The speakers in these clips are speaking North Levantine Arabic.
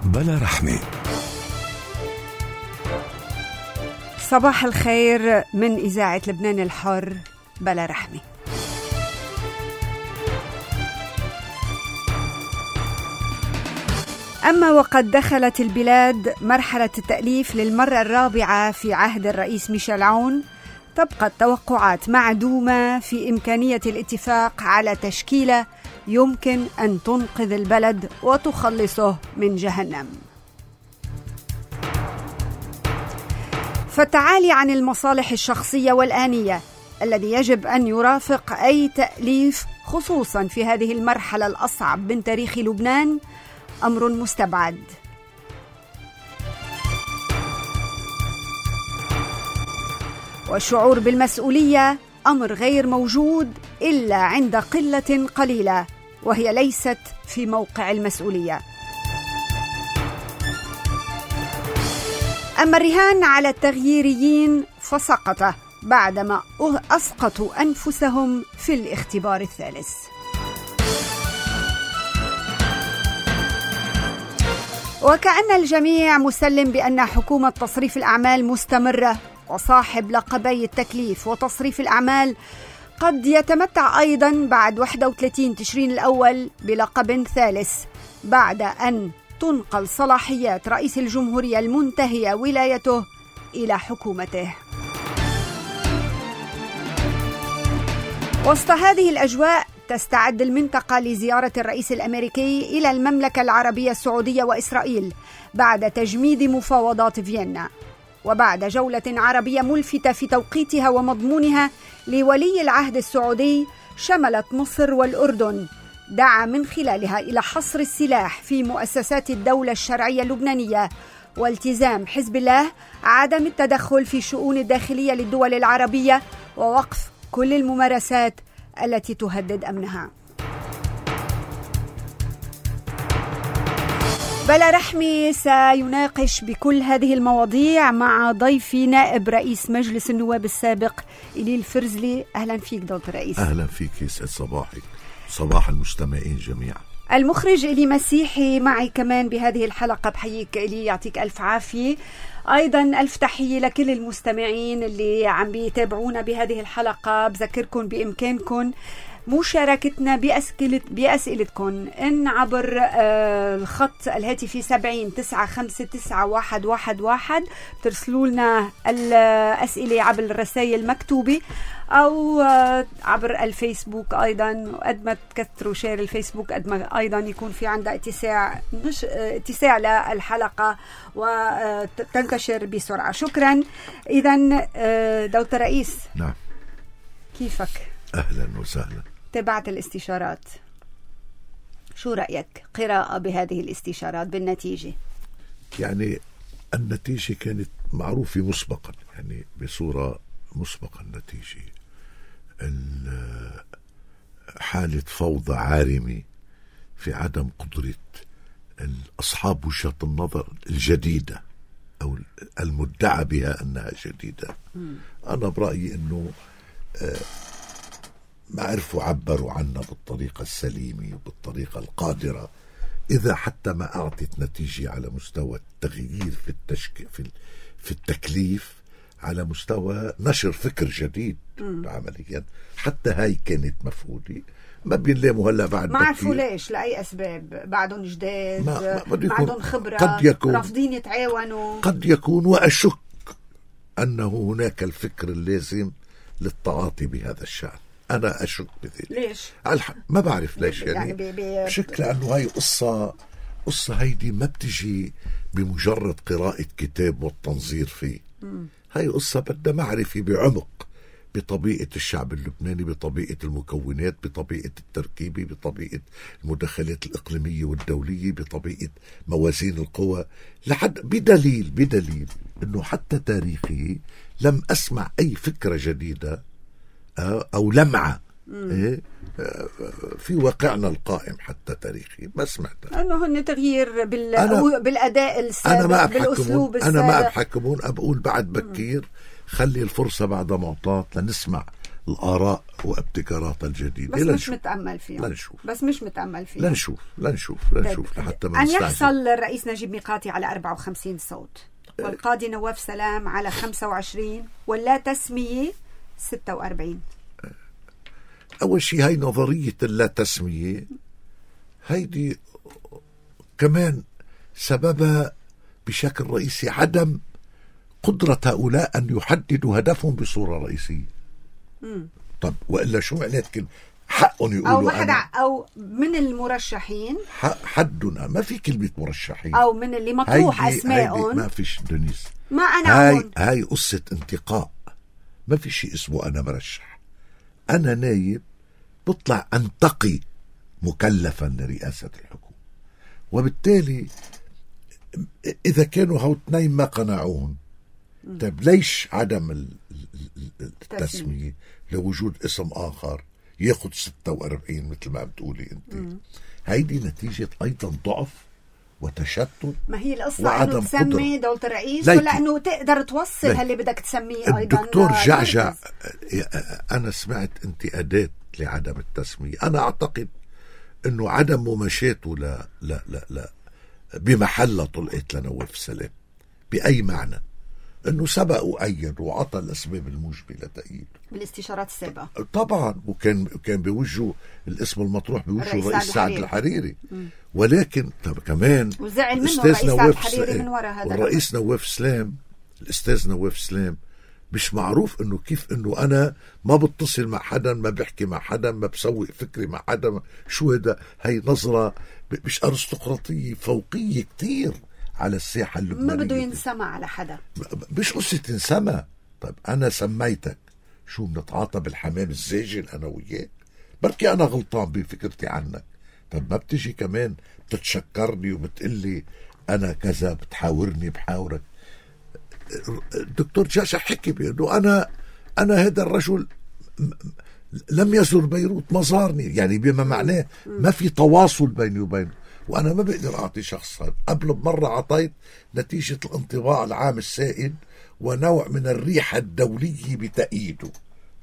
بلا رحمة. صباح الخير من إذاعة لبنان الحر بلا رحمة. أما وقد دخلت البلاد مرحلة التأليف للمرة الرابعة في عهد الرئيس ميشيل عون، تبقى التوقعات معدومة في إمكانية الاتفاق على تشكيلة يمكن أن تنقذ البلد وتخلصه من جهنم. فالتعالي عن المصالح الشخصية والآنية الذي يجب أن يرافق أي تأليف خصوصا في هذه المرحلة الأصعب من تاريخ لبنان أمر مستبعد. والشعور بالمسؤولية أمر غير موجود إلا عند قلة قليلة، وهي ليست في موقع المسؤولية. أما الرهان على التغييريين فسقط بعدما أسقطوا أنفسهم في الاختبار الثالث. وكأن الجميع مسلم بأن حكومة تصريف الأعمال مستمرة، وصاحب لقبي التكليف وتصريف الأعمال قد يتمتع أيضا بعد 31 تشرين الأول بلقب ثالث بعد أن تنقل صلاحيات رئيس الجمهورية المنتهية ولايته إلى حكومته. وسط هذه الأجواء تستعد المنطقة لزيارة الرئيس الأمريكي إلى المملكة العربية السعودية وإسرائيل بعد تجميد مفاوضات فيينا، وبعد جولة عربية ملفتة في توقيتها ومضمونها لولي العهد السعودي شملت مصر والأردن، دعا من خلالها إلى حصر السلاح في مؤسسات الدولة الشرعية اللبنانية والتزام حزب الله عدم التدخل في الشؤون الداخلية للدول العربية ووقف كل الممارسات التي تهدد أمنها. بلا رحمة سيناقش بكل هذه المواضيع مع ضيفي نائب رئيس مجلس النواب السابق إلي الفرزلي. أهلا فيك دكتور رئيس. أهلا فيك، يسعد صباحك، صباح المستمعين جميعا. المخرج إلي مسيحي معي كمان بهذه الحلقة. بحييك إلي، يعطيك ألف عافية. أيضا ألف تحية لكل المستمعين اللي عم بيتابعونا بهذه الحلقة. بذكركم بإمكانكم مشاركتنا بأسئلتكم إن عبر الخط الهاتفي 70-959-111 ترسلوا لنا الأسئلة عبر الرسائل المكتوبة أو عبر الفيسبوك. أيضا قد ما تكثروا شير الفيسبوك قد ما أيضا يكون في عندها اتساع للحلقة وتنتشر بسرعة. شكرا. إذن دكتور رئيس. نعم. كيفك؟ أهلا وسهلا. تابعت الاستشارات، شو رأيك قراءة بهذه الاستشارات بالنتيجة؟ يعني النتيجة كانت معروفة مسبقا، يعني بصورة مسبقا النتيجة حالة فوضى عارمة في عدم قدرة أصحاب وجهة النظر الجديدة أو المدعى بها أنها جديدة. أنا برأيي أنه ما عرفوا عبروا عنها بالطريقة السليمة وبالطريقة القادرة، إذا حتى ما أعطت نتيجة على مستوى التغيير في التكليف، على مستوى نشر فكر جديد عمليا. حتى هاي كانت مفقودة. ما بينلاموا هلا بعد ما عرفوا ليش، لأي أسباب، بعدهم جداد، بعدهم خبرة، قد يكون رافضين يتعاونوا، قد يكون. وأشك أنه هناك الفكر اللازم للتعاطي بهذا الشأن. أنا أشك بذلك. ليش؟ ما بعرف ليش، يعني بشكل لأنه هاي قصة هيدي ما بتجي بمجرد قراءة كتاب والتنظير فيه. هاي قصة بدها معرفة بعمق بطبيعة الشعب اللبناني، بطبيعة المكونات، بطبيعة التركيبة، بطبيعة المدخلات الإقليمية والدولية، بطبيعة موازين القوى، لحد بدليل أنه حتى تاريخي لم أسمع أي فكرة جديدة أو لمعة في واقعنا القائم حتى تاريخي ما سمعتها. أنه هن تغيير بالأداء السابق، بالأسلوب السابق. أنا ما بحكمون، أقول بعد بكير، خلي الفرصة بعد معطاة لنسمع الآراء وابتكارات الجديدة. بس مش متأمل فيهم. لنشوف لحتى ما أن يحصل الرئيس نجيب ميقاتي على 54 صوت والقاضي نواف سلام على 25 ولا تسمية 46. أول شيء هاي نظرية اللا تسمية هيدي كمان سببها بشكل رئيسي عدم قدرة هؤلاء أن يحددوا هدفهم بصورة رئيسية. طب وإلا شو معنات كلمة حقهم يقولوا أو من المرشحين حدنا ما في كلمة مرشحين أو من اللي مطروح أسمائهم ما فيش دنيس. ما أنا هاي قصة انتقاء. ما في شيء اسمه أنا مرشح. أنا نايب بطلع أنتقي مكلفا لرئاسة الحكومة، وبالتالي إذا كانوا هاو اثنين ما قنعون طيب ليش عدم التسمية لوجود اسم آخر ياخد 46 مثل ما بتقولي أنت؟ هيدي نتيجة أيضا ضعف وتشتت. ما هي القصة أنه تسمي دولة الرئيس ولا أنه تقدر توصل هاللي بدك تسميه أيضا. الدكتور جعجع أنا سمعت انتقادات لعدم التسمية. أنا أعتقد أنه عدم مماشاته لا بمحل طلقت لنواف سلام بأي معنى، أنه سبق وأيد وعطى الأسباب الموجبة لتأييده بالاستشارات السابقة طبعا، وكان بوجهه الاسم المطروح بوجهه الرئيس سعد الحريري. ولكن كمان وزعل منه الرئيس سعد الحريري من وراء هذا. والرئيس نواف سلام الأستاذ نواف سلام مش معروف انه كيف انه انا ما بتصل مع حدا، ما بحكي مع حدا، ما بسوي فكري مع حدا. شو هذا؟ هي نظرة مش ارستقراطية، فوقية كتير على الساحة اللبنانية. ما بده ينسمع على حدا، مش قصة ينسمع. طيب انا سميتك شو بنتعاطى بالحمام الزاجل انا وياك؟ بركي انا غلطان بفكرتي عنك. طب ما بتجي كمان بتتشكرني وبتقلي انا كذا، بتحاورني بحاورك. الدكتور جاشع حكي بأنه أنا هذا الرجل لم يزر بيروت، ما زارني، يعني بما معناه ما في تواصل بيني وبينه، وأنا ما بقدر أعطي شخص هذا. قبل بمرة أعطيت نتيجة الانطباع العام السائد ونوع من الريحة الدولية بتأييده.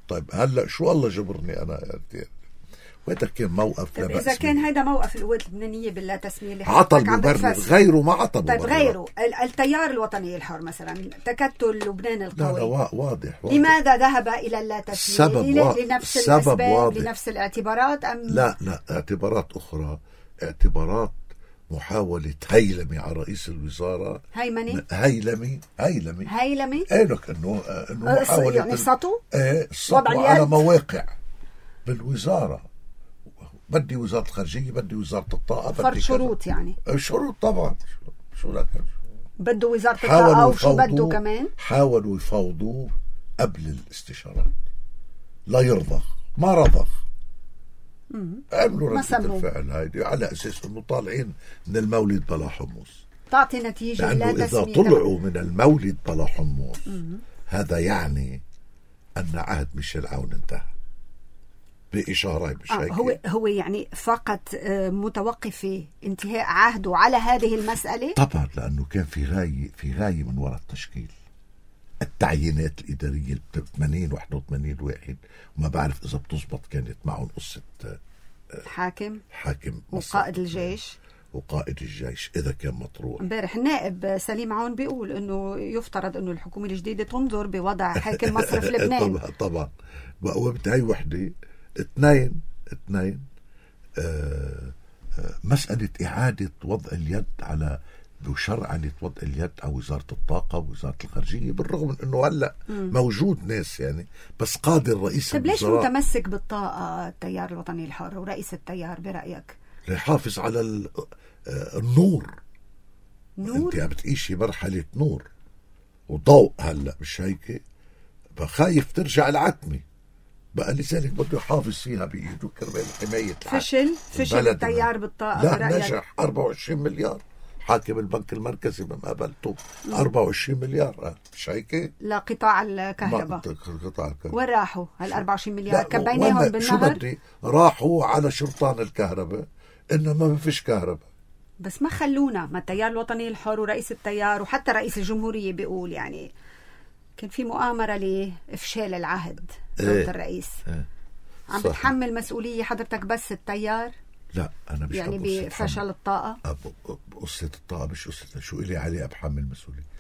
طيب هلأ شو الله جبرني أنا وهذا كان موقف لا بأس. إذا كان هذا موقف القوات اللبنانية باللا تسمية اللي عطى المبرر، غيره ما عطى مبرر. طيب غيره التيار الوطني الحر مثلا، تكتل لبنان القوي، لا واضح. لماذا ذهب إلى اللا تسمية؟ لنفس الأسباب، لنفس الاعتبارات أم لا اعتبارات أخرى، اعتبارات محاولة هيلمة على رئيس الوزراء. هيلمي قالك انه محاولة يعني سطو على مواقع بالوزارة. بدي وزارة الخارجية، بدي وزارة الطاقة، فرض شروط، يعني شروط طبعا. شو لك بده وزارة الطاقة وشو بده كمان؟ حاولوا يفاوضوا قبل الاستشارات، لا يرضخ، ما رضخ. عملوا ردة الفعل هيدي على أساس أنه طالعين من المولد بلا حمص. تعطي نتيجة. لأنه إذا طلعوا من المولد بلا حمص هذا يعني أن عهد ميشيل عون انتهى بإشارة هو يعني فقط متوقف انتهاء عهده على هذه المسألة. طبعا لأنه كان في غاية من وراء التشكيل. التعيينات الإدارية 81 واحد، وما بعرف إذا بتزبط كانت معهم قصة حاكم وقائد الجيش إذا كان مطروح. امبارح النائب سليم عون بيقول إنه يفترض إنه الحكومة الجديدة تنظر بوضع حاكم مصرف لبنان. طبعا وبتهي وحدة. اثنين مسألة إعادة وضع اليد على بشرعنة وضع اليد على وزارة الطاقة ووزارة الخارجية، بالرغم من أنه هلأ موجود ناس يعني، بس قادر رئيس طيب ليش متمسك بالطاقة التيار الوطني الحر ورئيس التيار برأيك؟ ليحافظ على النور. أنت عم بتعيشي مرحلة نور وضوء هلأ، مش هيك؟ بخايف ترجع العتمة بقى، لذلك بده يحافظ فيها بإيده كرمال حماية فشل التيار بالطاقة. لا نجح. 24 مليار حاكم البنك المركزي بمقابلته 24 مليار، مش هيك؟ لا قطاع الكهرباء وين راحوا هال 24 مليار؟ كبيناهم بالنهر. شو بدي راحوا على شرطان الكهرباء، إنما ما فيش كهرباء. بس ما خلونا، ما التيار الوطني الحر ورئيس التيار وحتى رئيس الجمهورية بيقول يعني كان في مؤامرة لإفشال العهد دولة الرئيس. عم بتحمل مسؤولية حضرتك بس التيار؟ لا أنا مش يعني بفشل الطاقة؟ قصة الطاقة مش قصة شو إلي عليه أبحمل مسؤولية.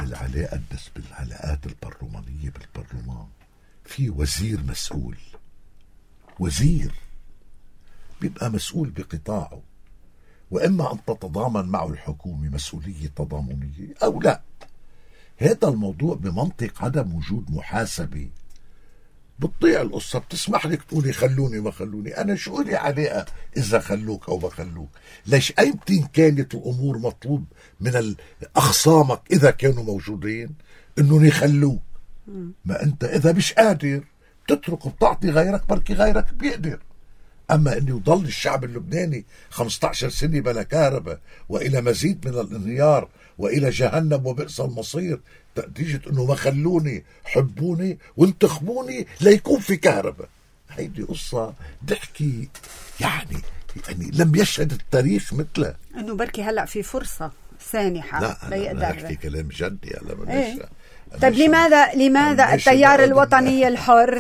اللي قدس بالعلاقات البرلمانية بالبرلمان في وزير مسؤول، وزير بيبقى مسؤول بقطاعه، وإما أن تتضامن معه الحكومة مسؤولية تضامنية أو لا. هذا الموضوع بمنطق عدم وجود محاسبة بتضيع القصة. بتسمح لك تقولي خلوني ما خلوني، أنا شو لي علاقة إذا خلوك أو ما خلوك؟ ليش أيمتين كانت الأمور مطلوب من أخصامك إذا كانوا موجودين إنه يخلوك؟ ما أنت إذا مش قادر تترك بتعطي غيرك، بركي غيرك بيقدر. أما أن يضل الشعب اللبناني 15 سنة بلا كهرباء وإلى مزيد من الانهيار وإلى جهنم وبئس المصير نتيجة أنه ما خلوني حبوني وانتخبوني ليكون في كهرباء. هيدي قصة ضحكي يعني لم يشهد التاريخ مثله. أنه بركي هلأ في فرصة سانحة ليقدر. لا أحكي كلام جدي هلا بديش. طيب لماذا التيار الوطني الحر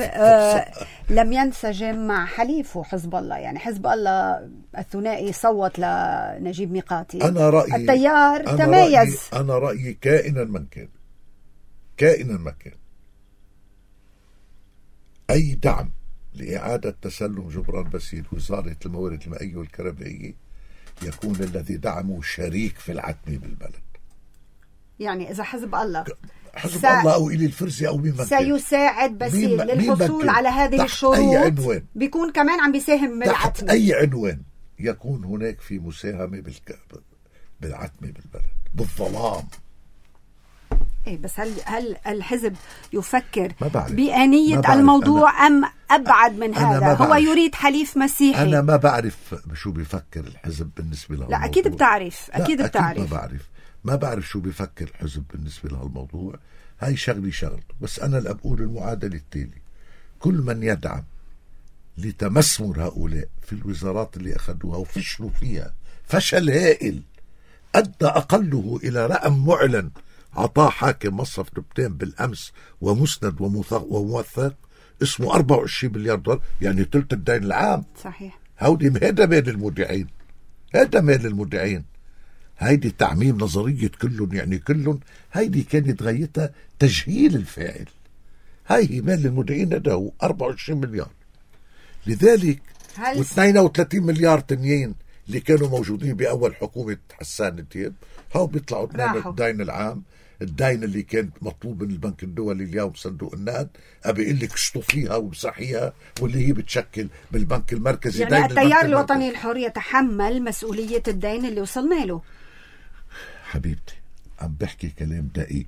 لم ينسجم مع حليفه حزب الله؟ يعني حزب الله الثنائي صوت لنجيب ميقاتي. أنا رأيي التيار تميز. أنا رأيي كائنا من كان أي دعم لإعادة تسلم جبران باسيل وزارة الموارد المائية والكهربائية يكون الذي دعمه شريك في العتمة بالبلد. يعني إذا حزب الله أو إلي الفرزي أو مين سيساعد باسيل للحصول على هذه الشروط، بيكون كمان عم بيساهم بالعتمة. أي عنوان يكون هناك في مساهمة بالعتمة بالبلد بالظلام. إيه بس هل الحزب يفكر بآنية الموضوع أم أبعد من هذا؟ هو يريد حليف مسيحي. أنا ما بعرف شو بيفكر الحزب بالنسبة له. لا أكيد بتعرف. أكيد ما بعرف شو بيفكر الحزب بالنسبة لهالموضوع. هاي شغلته. بس أنا اللي بقول المعادلة التالي: كل من يدعم لتمسمر هؤلاء في الوزارات اللي أخذوها وفشلوا فيها فشل هائل أدى أقله إلى رقم معلن عطاه حاكم مصرف لبنان بالأمس ومسند وموثق اسمه 24 مليار دولار، يعني ثلث الدين العام. صحيح. هذا مال المودعين. هيدي تعميم نظرية كلهم يعني كلهم. هيدي كانت غايتها تجهيل الفاعل. هاي مال المودعين هذا هو 24 مليار. لذلك و32 مليار تنين اللي كانوا موجودين بأول حكومة حسان دياب هاو بيطلعوا الدين العام، الدين اللي كان مطلوب من البنك الدولي اليوم صندوق النقد أبي يقول لك اشطفيها ومسحيها، واللي هي بتشكل بالبنك المركزي. يعني التيار الوطني الحر يتحمل مسؤولية الدين اللي وصلنا له. حبيبتي عم بحكي كلام دقيق.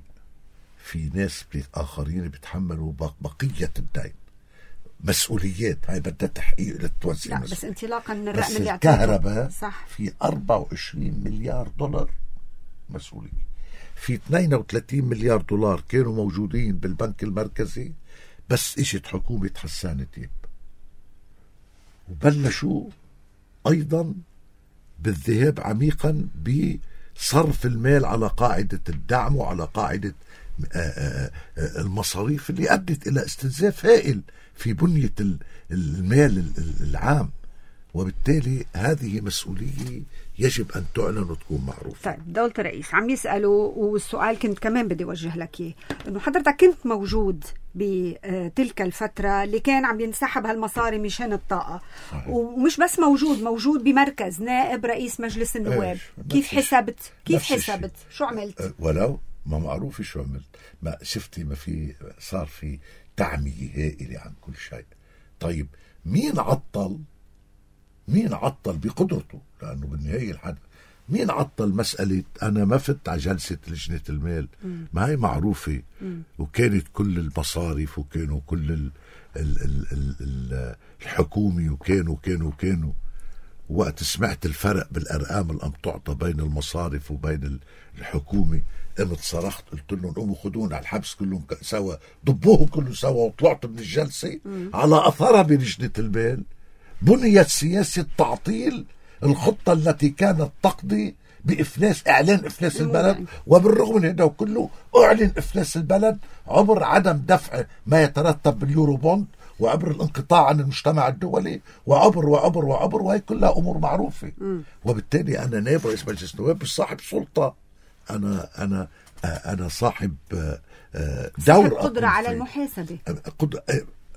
في ناس آخرين بيتحملوا بقية الدين، مسؤوليات. هاي بدها تحقيق للتوزيع. لا بس انطلاقا من الرقم بس اللي الكهرباء في 24 مليار دولار مسؤولية. في 32 مليار دولار كانوا موجودين بالبنك المركزي بس اجت حكومة حسان دياب وبلشوا أيضا بالذهاب عميقا بصرف المال على قاعدة الدعم وعلى قاعدة المصاريف اللي أدت إلى استنزاف هائل في بنية المال العام. وبالتالي هذه مسؤولية يجب أن تعلن وتكون معروفة. طيب دولة الرئيس عم يسألوا، والسؤال كنت كمان بدي أوجه لك إياه، إنه حضرتك كنت موجود بتلك الفترة اللي كان عم ينسحب هالمصاري مشان الطاقة. صحيح. ومش بس موجود بمركز نائب رئيس مجلس النواب. كيف حسبت شو عملت؟ ولو ما معروف شو عملت. ما شفتي ما في صار في تعمية هائلة عن كل شيء. طيب مين عطل بقدرته؟ لأنه بالنهاية الحد مين عطل مسألة أنا ما فت على جلسة لجنة المال؟ ما هي معروفة. وكانت كل المصارف وكانوا كل الحكومة وكانوا وقت سمعت الفرق بالأرقام اللي تعطى بين المصارف وبين الحكومة قمت صرخت قلت لهم قوموا خدونا على الحبس كلهم سوا، ضبوهم كلهم سوا. وطلعت من الجلسة على أثرها بلجنة المال بنيت سياسة تعطيل الخطة التي كانت تقضي بإفلاس، إعلان إفلاس البلد، وبالرغم من هذا كله أعلن إفلاس البلد عبر عدم دفع ما يترتب باليورو بوند، وعبر الانقطاع عن المجتمع الدولي، وعبر وعبر وعبر، وهي كلها أمور معروفة. وبالتالي أنا نائب رئيس مجلس النواب مش صاحب سلطة، أنا صاحب دور، قدرة على المحاسبة،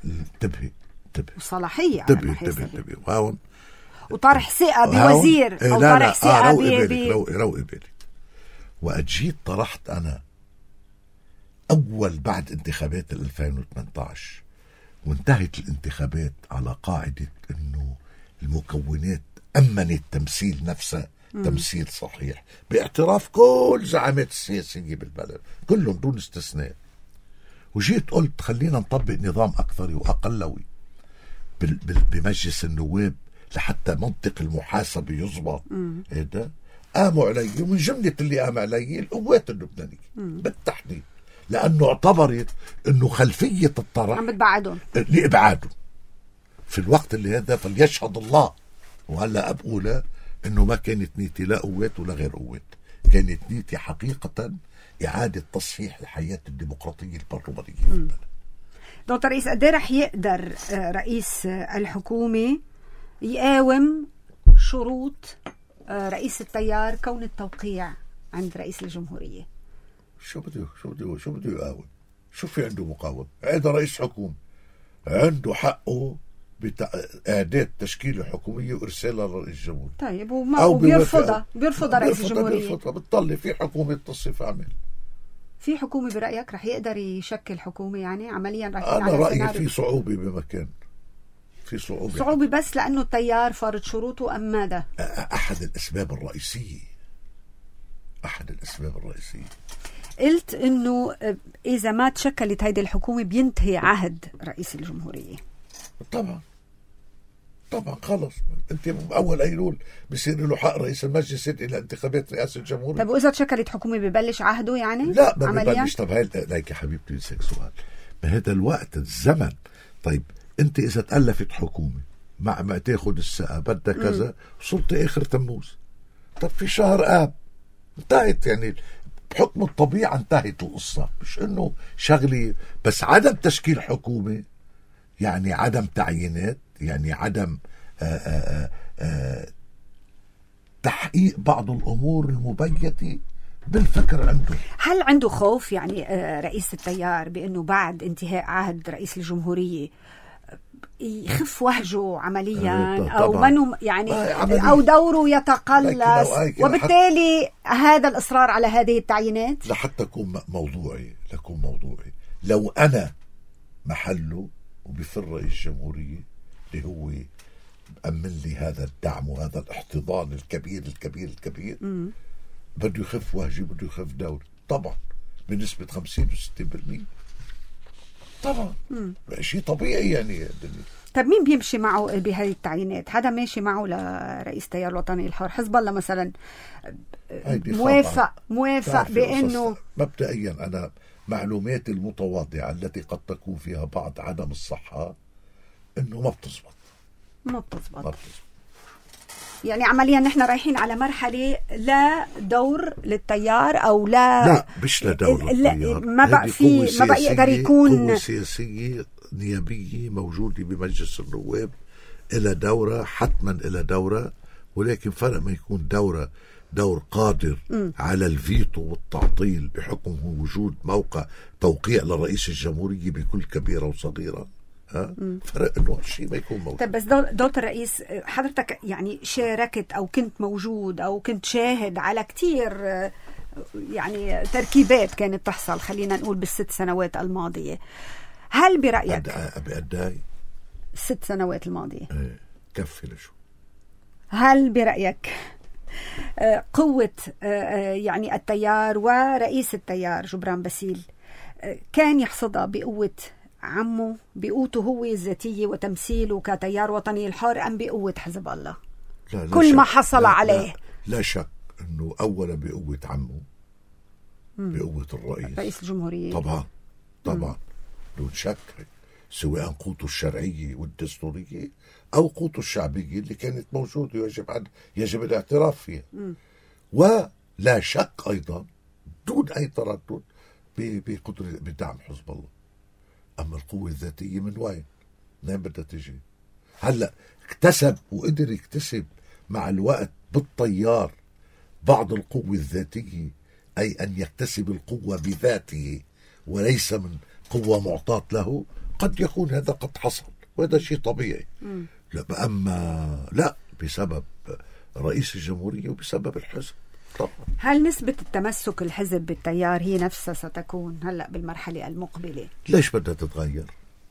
انتبهي وصلاحية على المحاسبة، وهون وطرح ثقة بوزير أو طرح ثقة روقي بالك. وأجيت طرحت أنا أول بعد انتخابات 2018، وانتهت الانتخابات على قاعدة أنه المكونات أمنت تمثيل نفسها تمثيل صحيح، باعتراف كل زعامات السياسية بالبلد كلهم دون استثناء. وجيت قلت خلينا نطبق نظام أكثري وأقلوي بمجلس النواب لحتى منطق المحاسبة يضبط. هذا قاموا علي، ومن جملة اللي قام علي القوات اللبنانية بالتحديد، لأنه اعتبرت أنه خلفية الطرح عم بتبعدهم لإبعاده في الوقت اللي هذا. فليشهد الله، وهلأ أبقولها أنه ما كانت نيتي لا قوات ولا غير قوات، كانت نيتي حقيقة إعادة تصحيح الحياة الديمقراطية البرلمانية في البلد. دكتور رئيس، قد ايه رح يقدر رئيس الحكومة يقاوم شروط رئيس التيار كون التوقيع عند رئيس الجمهورية؟ شو بده يقاوم؟ شو في عنده مقاوم؟ هذا رئيس حكومة عنده حقه بإعداد تشكيلة حكومية وإرسالها لرئيس الجمهورية. طيب بيرفضها رئيس الجمهورية، بتطلع في حكومة تصف عمل. في حكومة برأيك رح يقدر يشكل حكومة يعني عمليا؟ رح أنا رأيي في صعوبة بمكان، في صعوبة بس لأنه التيار فرض شروطه أم ماذا؟ أحد الأسباب الرئيسية. قلت إنه إذا ما تشكلت هيدي الحكومة بينتهي عهد رئيس الجمهورية. طبعا خلص، انت اول ايلول بصير له حق رئيس المجلس الى انتخابات رئاسه الجمهوريه. طب واذا تشكلت حكومه ببلش عهده يعني؟ لا ما ببلش. طب هاي ليك يا حبيبتي نسألك سؤال، بهذا الوقت الزمن. طيب انت اذا تألفت حكومه مع ما تاخذ السقا بدها كذا، وصلت اخر تموز، طب في شهر اب انتهت، يعني بحكم الطبيعه انتهت القصه. مش انه شغلي بس عدم تشكيل حكومه يعني عدم تعيينات، يعني عدم تحقيق بعض الأمور المبيتة بالفكر عنده. هل عنده خوف يعني رئيس التيار بأنه بعد انتهاء عهد رئيس الجمهورية يخف وهجه عمليا أو منه يعني أو دوره يتقلص، وبالتالي هذا الإصرار على هذه التعيينات؟ لحتى أكون موضوعي لو أنا محله وبفر رئيس الجمهورية اللي هو أمن لي هذا الدعم وهذا الاحتضان الكبير بده يخف وهجي، بده يخف دوري طبعا بنسبة 50 و60%. طبعا شيء طبيعي يعني الدنيا. طب مين بيمشي معه بهذه التعيينات؟ حدا ماشي معه لرئيس التيار الوطني الحر؟ حزب الله مثلا موافق بأنه مبدئيا أنا معلوماتي المتواضعة التي قد تكون فيها بعض عدم الصحة إنه ما بتزبط. يعني عمليا نحن رايحين على مرحلة لا دور للتيار أو لا مش لا دور للتيار، ما بقى يقدر يكون قوة سياسية نيابية موجودة بمجلس النواب إلى دورة، حتما إلى دورة، ولكن فرق ما يكون دور قادر على الفيتو والتعطيل بحكم وجود موقع توقيع لرئيس الجمهورية بكل كبيرة وصغيرة. فرق انه هالشيء ما يكون موجود. طب بس دكتور رئيس، حضرتك يعني شاركت او كنت موجود او كنت شاهد على كتير يعني تركيبات كانت تحصل خلينا نقول بال6 سنوات الماضية. هل برأيك بقداي 6 سنوات الماضية كفي لشو؟ هل برأيك قوة يعني التيار ورئيس التيار جبران باسيل كان يحصدها بقوة عمه، بقوته هو الذاتية وتمثيله كتيار وطني الحر، أم بقوة حزب الله؟ لا كل ما حصل عليه. لا شك أنه أولا بقوة عمه، بقوة رئيس الجمهورية طبعا دون شك، سواء قوته الشرعية والدستورية أو قوته الشعبية اللي كانت موجودة يجب الاعتراف فيها. ولا شك أيضا دون أي تردد بقدرة بدعم حزب الله. أما القوة الذاتية من وين بدها تجي؟ هلأ اكتسب وقدر يكتسب مع الوقت بالطيار بعض القوة الذاتية، أي أن يكتسب القوة بذاته وليس من قوة معطاة له. قد يكون هذا قد حصل وهذا شيء طبيعي. لا، أما لا، بسبب رئيس الجمهورية وبسبب الحزب طبعا. هل نسبة التمسك الحزب بالتيار هي نفسها ستكون هلأ بالمرحلة المقبلة؟ ليش بدها تتغير؟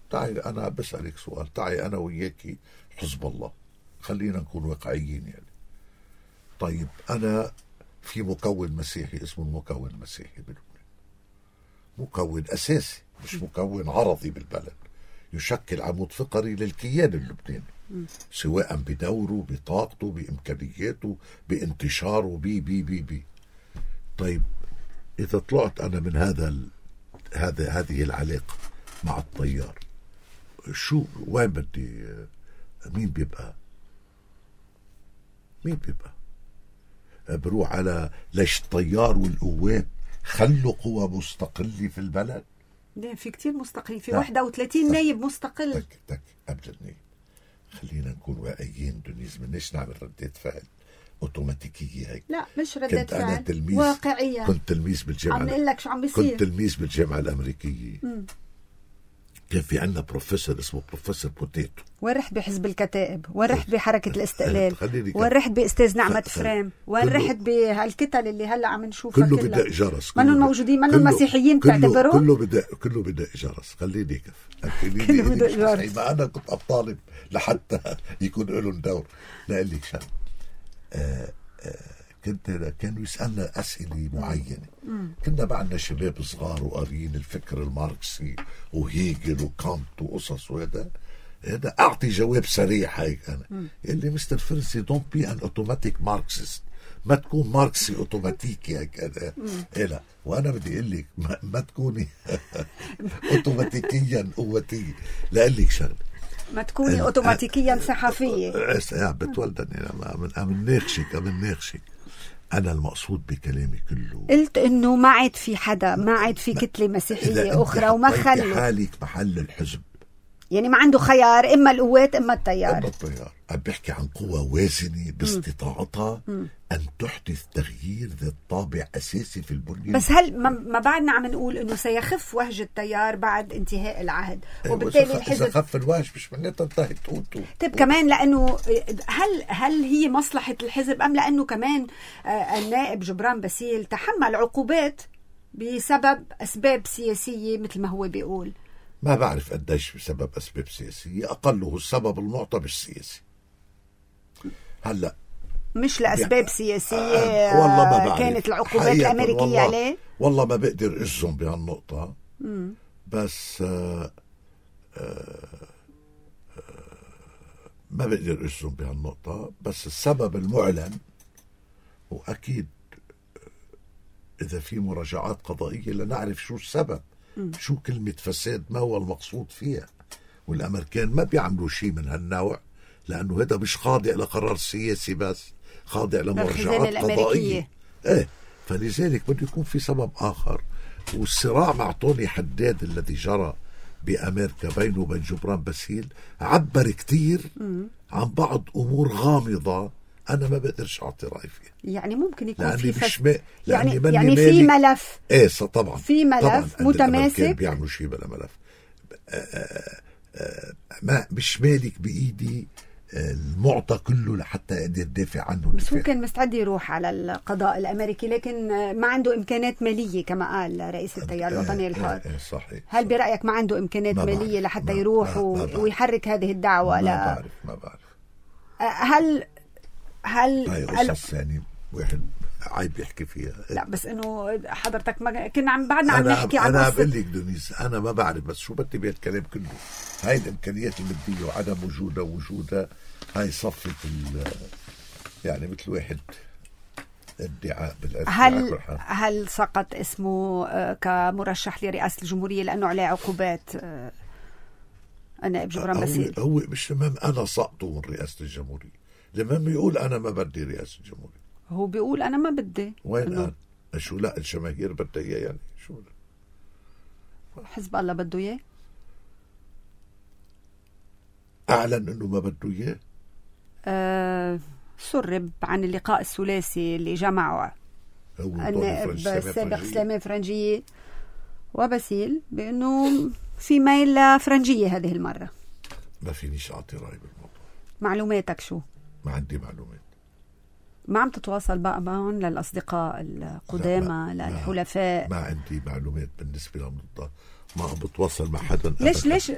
تعي أنا بسألك سؤال، تعي أنا وياكي حزب الله، خلينا نكون واقعيين يعني. طيب أنا في مكون مسيحي اسمه المكون المسيحي بلبنان، مكون أساسي مش مكون عرضي بالبلد، يشكل عمود فقري للكيان اللبناني، سواء بدوره بطاقته بإمكانياته بانتشاره بي. طيب إذا طلعت أنا من هذه العلاقة مع التيار، شو وين بدي؟ مين بيبقى؟ بروح على ليش الطيار والقوات خلوا قوى مستقلة في البلد؟ لا، في كتير مستقلين، في 31 نايب مستقل. تك قبل النايب خلينا نكون واقعيين دونيز، منيش نعمل ردة فعل اوتوماتيكية هيك. لا مش ردة فعل، واقعية. كنت تلميذ بالجامعة، عم نقول لك شو عم بيصير. كنت تلميذ بالجامعة الأمريكية. كان في عندنا بروفيسور اسمه بروفيسور بوتيتو، وين رحت بحزب الكتائب، وين رحت بحركة الاستقلال، وين رحت بأستاذ نعمة فريم، وين رحت بهالكتل اللي هلا عم نشوفها كله بدق جرس، منهم موجودين، منهم مسيحيين بتعتبروا كله بدق جرس. خليني كله بدق جرس. ما أنا كنت أطالب لحتى يكون لهم دور. لا أقول لك شغله، كانوا يسألنا أسئلة معينة. كنا معنا شباب صغار وقارين الفكر الماركسي وهيجل وكانت وقصص، وهذا أعطي جواب سريع هيك. أنا اللي مستر فرنسي don't be an automatic Marxist، ما تكون ماركسي أوتوماتيكي هيك. لا، وأنا بدي أقول لك ما تكوني أوتوماتيكيا قوتية. لا أقول لك شغله، ما تكوني أوتوماتيكيا صحفية. بتولدني أمن ناخشك. أنا المقصود بكلامي كله، قلت إنه ما عاد في حدا، ما عاد في كتلة مسيحية أخرى، وما خلوا حالك محل الحزب. يعني ما عنده خيار، إما القوات إما التيار. عم بحكي عن قوة وازنة باستطاعتها أن تحدث تغيير ذات طابع أساسي في البنية. بس هل ما بعدنا عم نقول إنه سيخف وهج التيار بعد انتهاء العهد، وبالتالي الحزب إذا خف الوهج مش معناتها انتهت قوته. طيب كمان لأنه هل هي مصلحة الحزب، أم لأنه كمان النائب جبران باسيل تحمل عقوبات بسبب أسباب سياسية مثل ما هو بيقول؟ ما بعرف قديش بسبب أسباب سياسية، أقله السبب المعطى بالسياسي. هلا مش لأسباب يعني سياسية والله ما بعرف. كانت العقوبات الأمريكية عليه والله ما بقدر أجزم بهالنقطة. بس ما بقدر أجزم بهالنقطة. بس السبب المعلن، وأكيد إذا في مراجعات قضائية لنعرف شو السبب، شو كلمة فساد، ما هو المقصود فيها. والأمريكان ما بيعملوا شيء من هالنوع، لأنه هذا مش خاضع لقرار سياسي، بس خاضع لمراجعات قضائية. فلذلك بده يكون في سبب آخر. والصراع مع طوني حداد الذي جرى بأمريكا بينه وبين جبران باسيل عبر كتير عن بعض أمور غامضة أنا ما بقدرش أعطي رأي فيها. يعني ممكن يكون في يعني في ملف. طبعا في ملف متماسك بيعملوا شيء بلا ملف. ما مش مالك بإيدي المعطى كله لحتى أقدر دافع عنه. بس هو كان مستعد يروح على القضاء الأمريكي، لكن ما عنده إمكانات مالية كما قال رئيس التيار الوطني الحر. صحيح. هل برأيك ما عنده إمكانات مالية لحتى يروح ويحرك هذه الدعوة؟ ما بعرف. هل ثاني واحد عيب يحكي فيها. لا بس انه حضرتك ما كنا بعدنا عم نحكي عن انا بقول لك دونيس، انا ما بعرف، بس شو بدي بهالكلام كله. هاي الامكانيات الماديه وعدم وجودها هاي صفت يعني مثل واحد ادعاء هل سقط اسمه كمرشح لرئاسه الجمهوريه لانه عليه عقوبات النائب جبران باسيل؟ هو مش المهم انا سقطه من رئاسه الجمهوريه، المهم يقول انا ما بدي رئاسه الجمهوريه. هو بيقول أنا ما بدي. وين قال؟ شو لا الجماهير بدها إياه يعني شو حزب الله بده إياه؟ أعلن إنه ما بده إياه. سرب عن اللقاء الثلاثي اللي جمعه النائب السابق سليمان فرنجية وباسيل بأنه في ميل لفرنجية هذه المرة. ما فينيش أعطي رأي بالموضوع. معلوماتك شو؟ ما عندي معلومات. ما عم تتواصل بقى معهم للأصدقاء القدامى للحلفاء؟ ما عندي معلومات بالنسبة للموضوع. ما عم بتواصل مع حدا.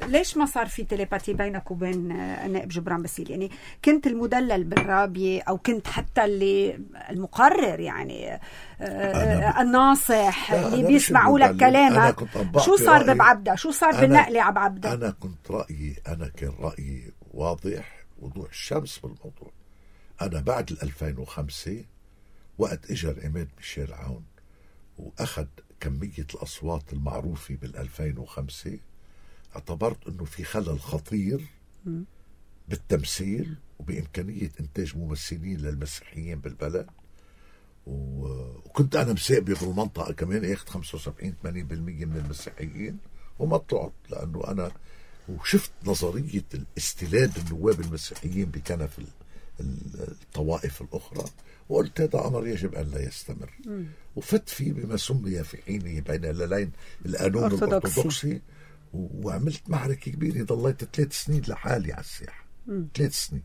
ليش ما صار في تيليباتي بينك وبين النائب جبران باسيل؟ يعني كنت المدلل بالرابية أو كنت حتى اللي المقرر يعني الناصح اللي بيسمعوا لك كلامك؟ شو صار ببعبدة؟ شو صار بالنقلة عبعبدة؟ أنا كان رأيي واضح وضوح الشمس بالموضوع. أنا بعد 2005 وقت إجا العماد ميشيل عون وأخذ كمية الأصوات المعروفة 2005 اعتبرت أنه في خلل خطير بالتمثيل وبإمكانية إنتاج ممثلين للمسيحيين بالبلد. وكنت أنا مساقبي بالمنطقة كمان ياخد 75-80% من المسيحيين وما طلعت، لأنه أنا وشفت نظرية الاستلاد النواب المسيحيين بكنف الطوائف الأخرى وقلت هذا أمر يجب أن لا يستمر. وفت فيه بما سمي في حينه بين الليلين القانون الأرثوذكسي وعملت معركة كبيرة. ضليت 3 سنين لحالي على الساحة 3 سنين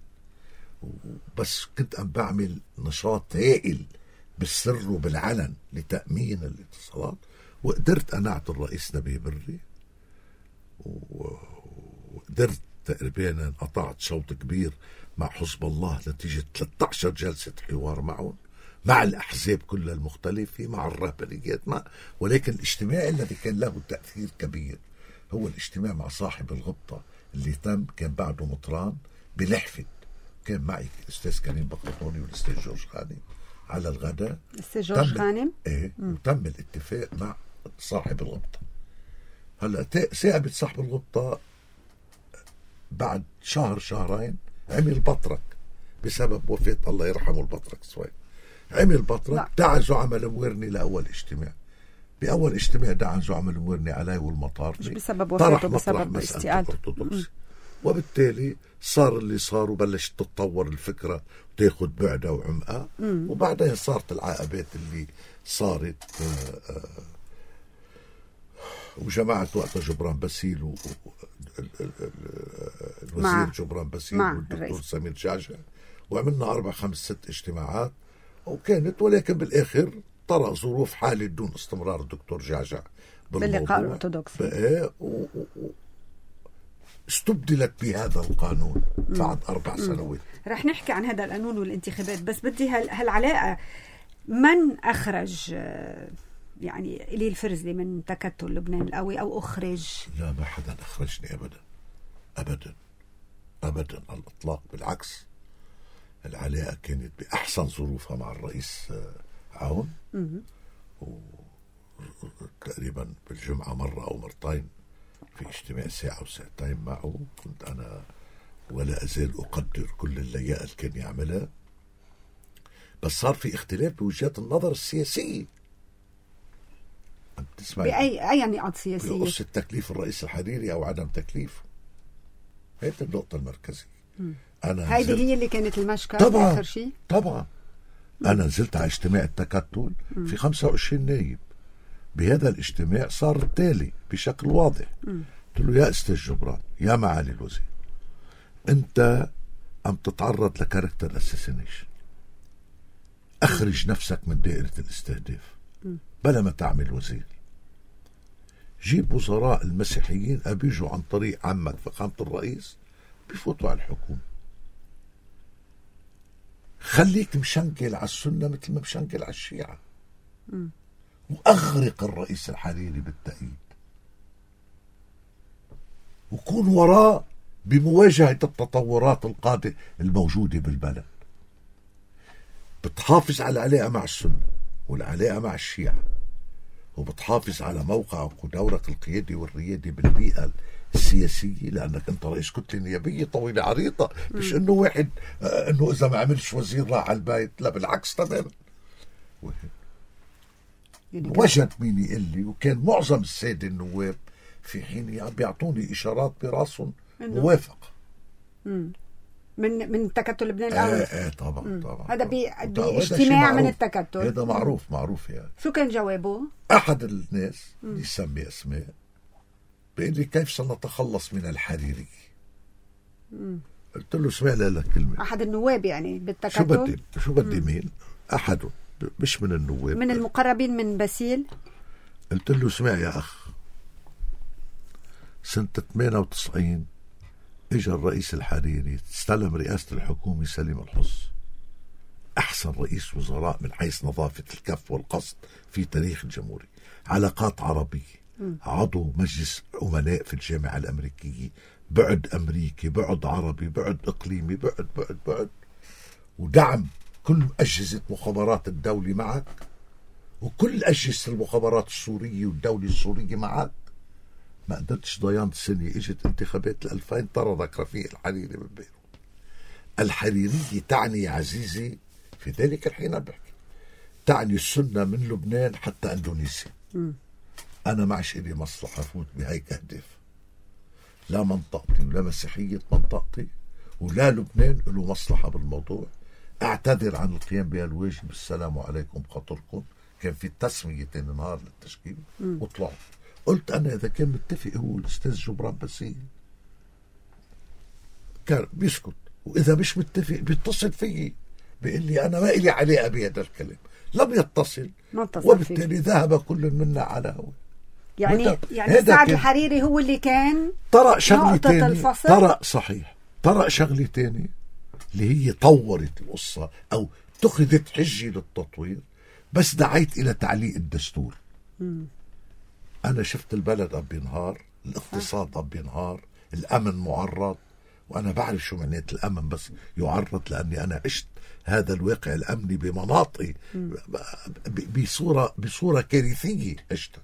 بس كنت أم بعمل نشاط هائل بالسر وبالعلن لتأمين الاتصالات. وقدرت أنعت الرئيس نبيه بري وقدرت تقريبا قطعت شوط كبير مع حزب الله نتيجة 13 جلسة حوار معهم مع الأحزاب كلها المختلفة مع الرهبانيات ولكن الاجتماع الذي كان له تأثير كبير هو الاجتماع مع صاحب الغبطة اللي تم كان بعده مطران بلحفة. كان معي الأستاذ كريم بقطوني والأستاذ جورج غانم على الغداء. الأستاذ جورج غانم وتم الاتفاق مع صاحب الغبطة. هلا ثاقبت صاحب الغبطة بعد شهرين عمل بطرك بسبب وفاة الله يرحمه البطرك سوي. عمل بطرك دعا زعماء المويرني لأول اجتماع. بأول اجتماع دعا زعماء المويرني علي والمطار مش بسبب وفاته بسبب استقالته. وبالتالي صار اللي صار وبلشت تتطور الفكرة وتاخد بعدها وعمقها. وبعدها صارت العقبات اللي صارت وجماعة وقتها جبران باسيل الوزير جبران باسيل والدكتور سمير جعجع وعملنا 4-5-6 اجتماعات وكانت ولكن بالآخر طرأ ظروف حالة دون استمرار الدكتور جعجع باللقاء الأرثوذكسي استبدلت بهذا القانون بعد 4 سنوات. رح نحكي عن هذا القانون والانتخابات بس بدي هالعلاقة من أخرج يعني إلي الفرزلي من تكتل لبنان القوي أو أخرج؟ لا ما حدا أخرجني أبدا على الإطلاق. بالعكس العلاقة كانت بأحسن ظروفها مع الرئيس عون وتقريبا بالجمعة مرة أو مرتين في اجتماع 1 أو 2 ساعات معه. كنت أنا ولا أزال أقدر كل اللياقة اللي كان يعملها بس صار في اختلاف بوجهات النظر السياسية. بأي نقاط سياسية؟ بقصة تكليف الرئيس الحريري أو عدم تكليفه. هذه النقطة المركزية. هذه هي اللي كانت المشكلة طبعا آخر شيء. طبعا أنا نزلت على اجتماع التكتل في 25 نايب. بهذا الاجتماع صار التالي بشكل واضح. قلت له يا أستاذ جبران يا معالي الوزير أنت عم تتعرض لكاركتر أساسينيشن. أخرج نفسك من دائرة الاستهداف بلا ما تعمل وزير. جيب وزراء المسيحيين أبيجوا عن طريق عمك فخامة الرئيس بفوتوا على الحكومة. خليك مشنكل على السنة مثل ما مشنكل على الشيعة وأغرق الرئيس الحريري بالتأييد وكون وراء بمواجهة التطورات القادمة الموجودة بالبلد. بتحافظ على العلاقة مع السنة والعلاقة مع الشيعة وبتحافظ على موقعك ودورك القيادي والريادي بالبيئة السياسية، لأنك أنت رئيس كتلة نيابية طويلة عريضة. مش إنه واحد إنه إذا ما عملش وزير راح على البيت، لا بالعكس تماما. وجد مين يقول لي، وكان معظم السادة النواب في حين بيعطوني إشارات براسهم موافقة من تكتل لبنان الأول. طبعا. هذا باجتماع من التكتل. هذا معروف يعني. شو كان جوابه؟ أحد الناس يسمي أسماء بيقول لي كيف سنتخلص من الحريري. قلت له اسمع لك كلمة. أحد النواب يعني بالتكتل. شو بدي مين؟ أحدهم، مش من النواب، من المقربين من باسيل. قلت له اسمع يا أخ، سنة 98 اجى الرئيس الحريري استلم رئاسة الحكومة سليم الحص، أحسن رئيس وزراء من حيث نظافة الكف والقصد في تاريخ الجمهورية. علاقات عربية، عضو مجلس أمناء في الجامعة الأمريكية، بعد أمريكي، بعد عربي، بعد إقليمي، بعد ودعم كل أجهزة مخابرات الدولة معك، وكل أجهزة المخابرات السورية والدولة السورية معك. ما قدرتش ضيان سنة، اجت انتخابات 2000 طردك رفيق الحريري من بيروت. الحريرية تعني عزيزي في ذلك الحين بحكي تعني السنة من لبنان حتى اندونيسيا. انا معش لي مصلحة فوت بهيك اهداف، لا منطقتي ولا مسيحية منطقتي ولا لبنان له مصلحة بالموضوع. اعتذر عن القيام بهالواجب، السلام عليكم خاطركم. كان في تسمية تاني نهار للتشكيل وطلعوا. قلت أنا إذا كان متفق هو الأستاذ جبران باسيل كان بيسكت، وإذا مش متفق بيتصل فيي بيقول لي أنا ما إلي علاقة بهذا الكلام. لم يتصل وبالتالي ذهب كل منا على هو. يعني سعد الحريري هو اللي كان طرق شغلة تاني. طرق شغلة تاني اللي هي طورت القصة أو اتخذت حجة للتطوير، بس دعيت إلى تعليق الدستور. أنا شفت البلد عم بينهار، الاقتصاد عم بينهار، الأمن معرض، وأنا بعرف شو معنات الأمن، بس يعرض لأني أنا عشت هذا الواقع الأمني بمناطقي بصورة كارثية عشتها.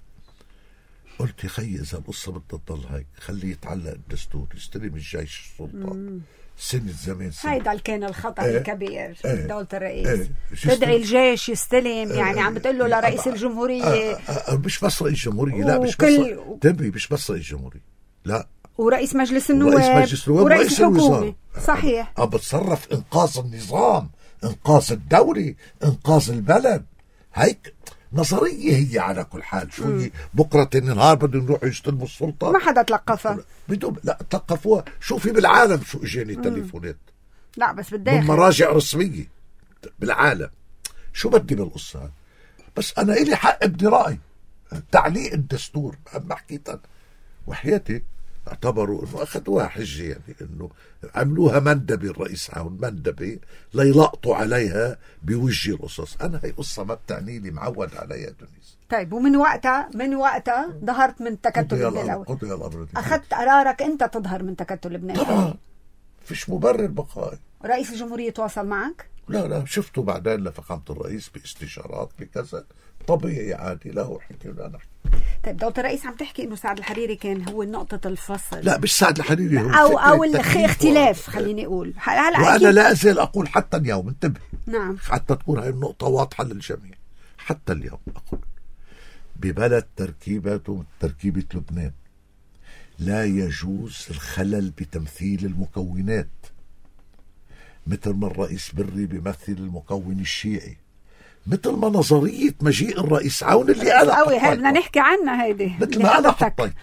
قلت يا خي إذا القصة بدها تضل هيك خليه يتعلق الدستور، يستلم الجيش السلطة. سنة زمان هيدا كان الخطأ الكبير دولة الرئيس. تدعي الجيش يستلم، يعني عم بتقول له لرئيس الجمهورية. مش بس رئيس الجمهورية، لا مش بس تنبي، مش بس رئيس الجمهورية، لا، ورئيس مجلس النواب ورئيس الحكومة. صحيح. بتصرف إنقاذ النظام، إنقاذ الدولة، إنقاذ البلد. هيك نظرية هي على كل حال. شو هي بكرة تاني نهار بدهم يروحوا يستلموا السلطة؟ ما حدا تلقفها. لا تلقفوها. شوفي بالعالم شو اجاني تليفونات، لا بس بالداخل من مراجع رسمية بالعالم. شو بدي بالقصة؟ بس أنا إلي حق بدي رأي. تعليق الدستور ما حكيت أنا، وحياتي اعتبروا انه اخذوها حجه، يعني انه عملوها مندبه، الرئيس عون مندبه ليلقطوا عليها بوجه القصص. انا هي قصه ما بتعني لي، معود عليها دونيس. طيب، ومن وقتها ظهرت من تكتل لبنان الاول. اخذت قرارك انت تظهر من تكتل لبنان طبعا، فيش مبرر بقائي. رئيس الجمهوريه تواصل معك؟ لا شفته بعدين لفخامه الرئيس باستشارات بكذا، طبيعي عادي، لا هو حكي ولا نحكي. طيب دولة الرئيس عم تحكي انه سعد الحريري كان هو نقطة الفصل. لا مش سعد الحريري هو او الاختلاف، خليني اقول. وانا لا ازال اقول حتى اليوم، انتبه، نعم، حتى تكون هاي النقطة واضحة للجميع. حتى اليوم اقول ببلد تركيبته تركيبة لبنان لا يجوز الخلل بتمثيل المكونات، مثل ما الرئيس بري بيمثل المكون الشيعي، مثل ما نظرية مجيء الرئيس عون اللي أنا بدنا نحكي عنها، هيدي مثل ما أنا حطيت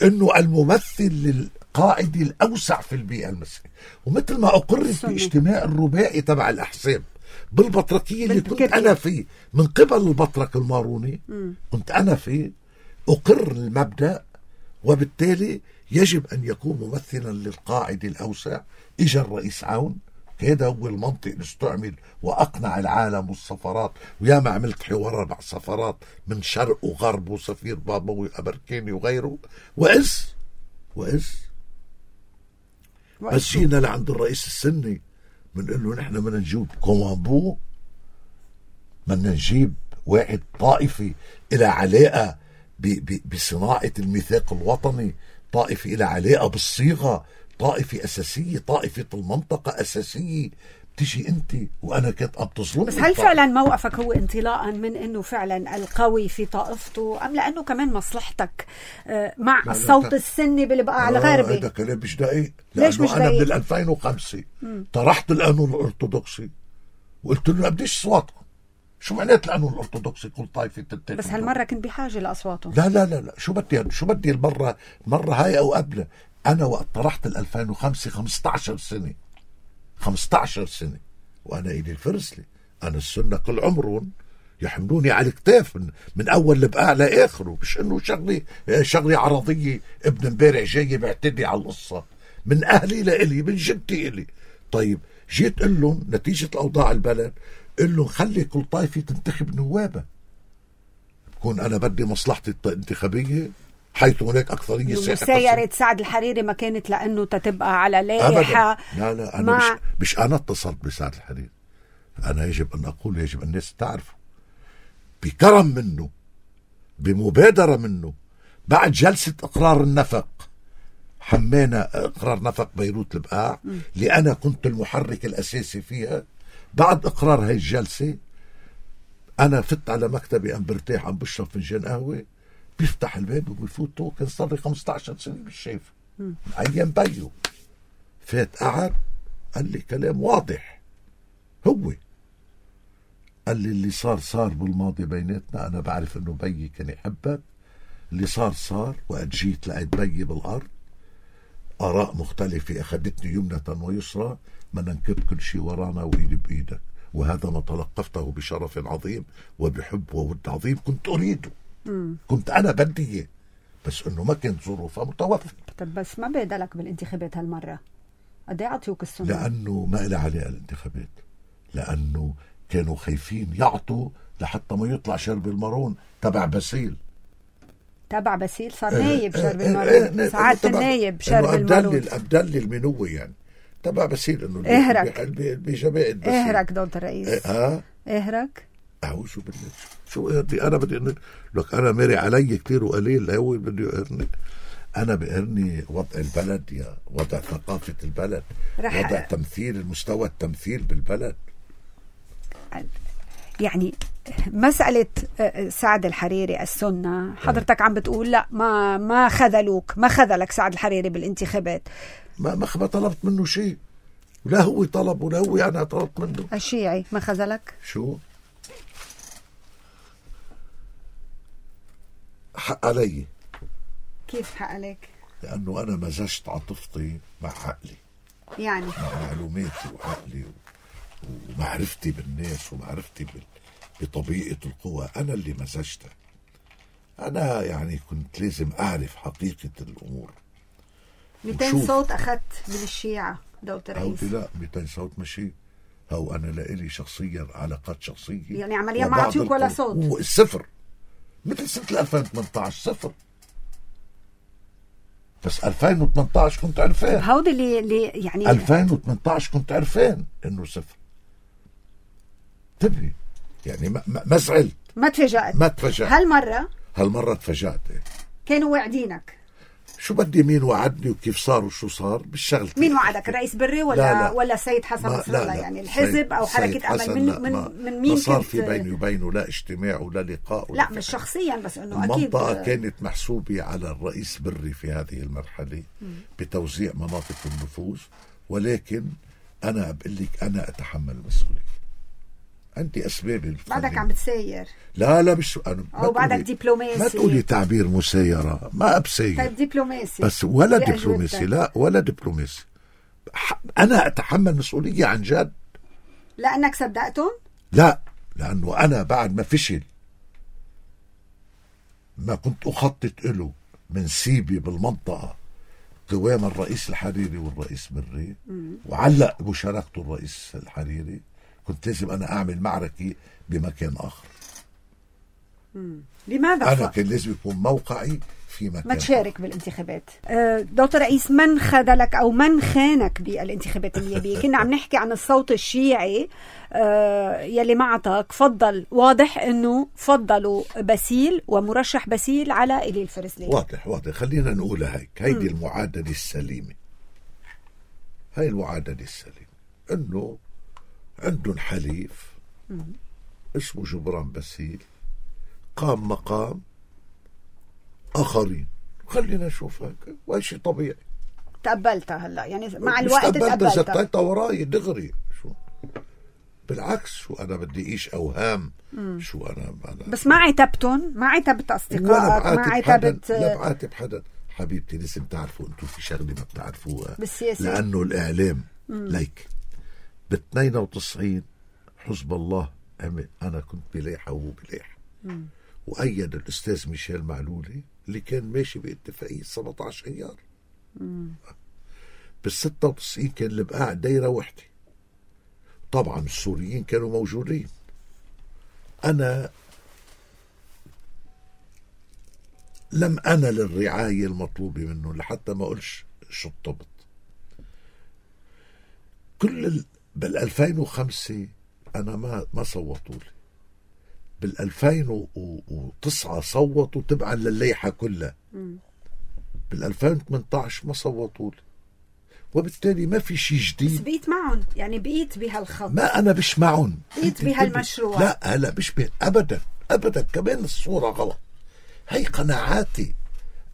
إنه الممثل للقائد الأوسع في البيئة المصرية، ومثل ما أقرت باجتماع الرباعي تبع الأحزاب بالبطركية اللي كنت أنا فيه من قبل البطرك الماروني، كنت أنا فيه، أقر المبدأ، وبالتالي يجب أن يكون ممثلا للقائد الأوسع. إجا الرئيس عون، هذا هو المنطق اللي استعمل وأقنع العالم والسفارات، وياما عملت حوار مع سفارات من شرق وغرب وسفير بابوي أمريكاني وغيره، وإز بس جينا لعند الرئيس السني بنقول له نحن بدنا نجيب كومامبو، بدنا نجيب واحد طائفي إلى علاقة بصناعة الميثاق الوطني، طائفي إلى علاقة بالصيغة، طائفة أساسية، طائفة المنطقة أساسية. تجي أنت وأنا كنت عم تظلم. بس هل فعلا موقفك هو انطلاقا من أنه فعلا القوي في طائفته، أم لأنه كمان مصلحتك مع الصوت السني بالبقاع الغربي؟ هذا كلام مش دقيق. ليش مش أنا دقيق؟ من 2005 طرحت القانون الأرثوذكسي وقلت له بديش أصواتكم. شو معنات القانون الأرثوذكسي؟ كل طائفة تنتخب. بس هالمرة كنت بحاجة لأصواتهم. لا لا لا لا، شو بدي المرة هاي أو قبل. أنا وقت طرحت 2005 15 سنة 15 سنة وأنا إلي الفرسلي. أنا السنة كل عمرهم يحملوني على الكتاف من أول لبقاع لآخره. مش إنه شغلي عرضية ابن امبارح جاي بعتدي على القصة. من أهلي لإلي، من جدتي إلي. طيب جيت قل لهم نتيجة الأوضاع البلد، قل لهم خلي كل طائفة تنتخب نوابة. بكون أنا بدي مصلحتي الانتخابية حيث هناك أكثرية. مسايرة سعد الحريري ما كانت لأنه تتبقى على لائحة. لا أنا مش أنا اتصلت بسعد الحريري. أنا يجب أن أقول، يجب الناس تعرفه، بكرم منه، بمبادرة منه، بعد جلسة إقرار النفق حمينا إقرار نفق بيروت البقاع اللي أنا كنت المحرك الأساسي فيها. بعد إقرار هاي الجلسة أنا فت على مكتبي أم برتاح عم بشرب فنجان قهوة، بيفتح الباب وبيفوت. كان صار لي 15 سنة مش شايفه من أيام بيو. فات قعد قال لي كلام واضح. هو قال لي اللي صار بالماضي بيناتنا. أنا بعرف إنه بيي كان يحبك. اللي صار وقت جيت لقيت بيي بالأرض، آراء مختلفة أخذتني يمنة ويسرى، ما ننكب كل شيء ورانا وإيدي بإيدك. وهذا ما تلقفته بشرف عظيم وبحب وود عظيم كنت أريده. كنت أنا بدي إياه، بس إنه ما كانت ظروفها متوفرة. طب بس ما بيدلك بالانتخابات هالمرة؟ قد ايه عطيوك السنة؟ لأنه ما إلى عليه الانتخابات، لأنه كانوا خايفين يعطوا لحتى ما يطلع شرب المارون تبع باسيل. تبع باسيل صار نايب شرب المارون. سعادة النايب شرب المارون. أبدل المنوي يعني تبع باسيل. إنه بجماعة باسيل. اهرك دولة الرئيس. اهرك. أعوذ بالله. شو اهرني؟ أنا بدي لك أنا ماري علي كتير وقليل. هو بدي يقهرني. أنا بقهرني وضع البلد، يا وضع ثقافة البلد، وضع تمثيل، المستوى التمثيل بالبلد. يعني مسألة سعد الحريري السنة، حضرتك عم بتقول لا ما خذلوك، ما خذلك سعد الحريري بالانتخابات. ما طلبت منه شيء، ولا هو طلب ولا هو أنا طلبت منه. الشيعي ما خذلك؟ شو حق علي. كيف حق عليك؟ لأنه أنا مزجت عاطفتي مع عقلي، يعني مع معلوماتي وعقلي ومعرفتي بالناس ومعرفتي بطبيعة القوى. أنا اللي مزجتها. أنا يعني كنت لازم أعرف حقيقة الأمور. 200 صوت أخذت من الشيعة دولة الرئيس. لا 200 صوت ماشي. هو أنا لإلي شخصيا علاقات شخصية، يعني عمليا ما عطيوك ولا صوت. صفر. مثل سنة 2018 صفر. بس 2018 كنت عرفان. هودي اللي يعني 2018 كنت عرفان إنه صفر. تبني يعني ما زعلت، ما تفاجأت. هالمرة تفاجأت. كانوا واعدينك. شو بدي مين وعدني وكيف صار وشو صار بالشغل. مين وعدك؟ الرئيس بري ولا سيد حسن نصر الله؟ يعني الحزب او حركة امل من مين؟ ما صار في بيني وبينه لا اجتماع ولا لقاء ولا لا مش شخصيا، بس انه اكيد المنطقة كانت محسوبة على الرئيس بري في هذه المرحلة بتوزيع مناطق النفوذ. ولكن انا بقول لك انا اتحمل المسؤولية. عندي اسبابي. بعدك عم بتساير. لا مش انا. او بعدك دبلوماسي. ما تقولي تعبير مسايرة، ما بساير. طيب دبلوماسي. بس ولا دبلوماسي. لا ولا دبلوماسي. انا اتحمل مسؤولية عن جد. لانك صدقتهم؟ لا، لانه انا بعد ما فشل ما كنت اخطط له من سيبي بالمنطقة قوام الرئيس الحريري والرئيس بري، وعلق مشاركته الرئيس الحريري، كنت لازم أنا أعمل معركة بمكان آخر. لماذا؟ أنا كان لازم يكون موقعي في مكان ما تشارك بالانتخابات. دكتور رئيس، من خذلك أو من خانك بالانتخابات النيابية؟ كنا عم نحكي عن الصوت الشيعي يلي معتك فضل، واضح أنه فضلوا باسيل ومرشح باسيل على إيلي الفرزلي. واضح. خلينا نقولها هيك، هيدي المعادلة السليمة. هاي المعادلة السليمة أنه عندهم حليف اسمه جبران باسيل قام مقام آخرين. خلينا نشوف هيك، وهي شيء طبيعي. تقبلتها هلا يعني مع الوقت تقبلتها؟ زتيتها وراي دغري. شو بالعكس، شو أنا بدي إيش أوهام. شو أنا بس ما عتبتن، ما عتبت أصدقائك، ما عتبت. لا بعاتب حدا حبيبتي. لازم تعرفوا أنتم في شغلة ما بتعرفوها بالسياسة، لأنه الإعلام ليك. ب92 حزب الله أنا كنت بلاحة وهو بلاحة، وأيد الأستاذ ميشيل معلولي اللي كان ماشي باتفاقية 17 أيار. بال96 كان البقاع دايرة وحدة. طبعا السوريين كانوا موجودين. أنا لم أنل الرعاية المطلوبة منه لحتى ما أقولش شطبت. بال2005 أنا ما صوتوا لي. بال2009 صوتوا تبعا للليحة كلها. بال2018 ما صوتوا لي، وبالتالي ما في شيء جديد. بس بقيت معهم، يعني بقيت بهالخط. ما أنا مش معهم، بقيت بهالمشروع. لا هلا مش أبدا. كمان الصورة غلط. هي قناعاتي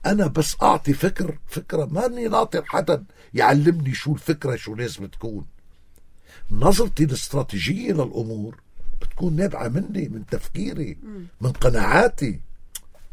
أنا، بس أعطي فكرة. ماني ناطر حدا يعلمني شو الفكرة، شو لازم تكون. نظرتي الاستراتيجية للأمور بتكون نابعة مني، من تفكيري، من قناعاتي.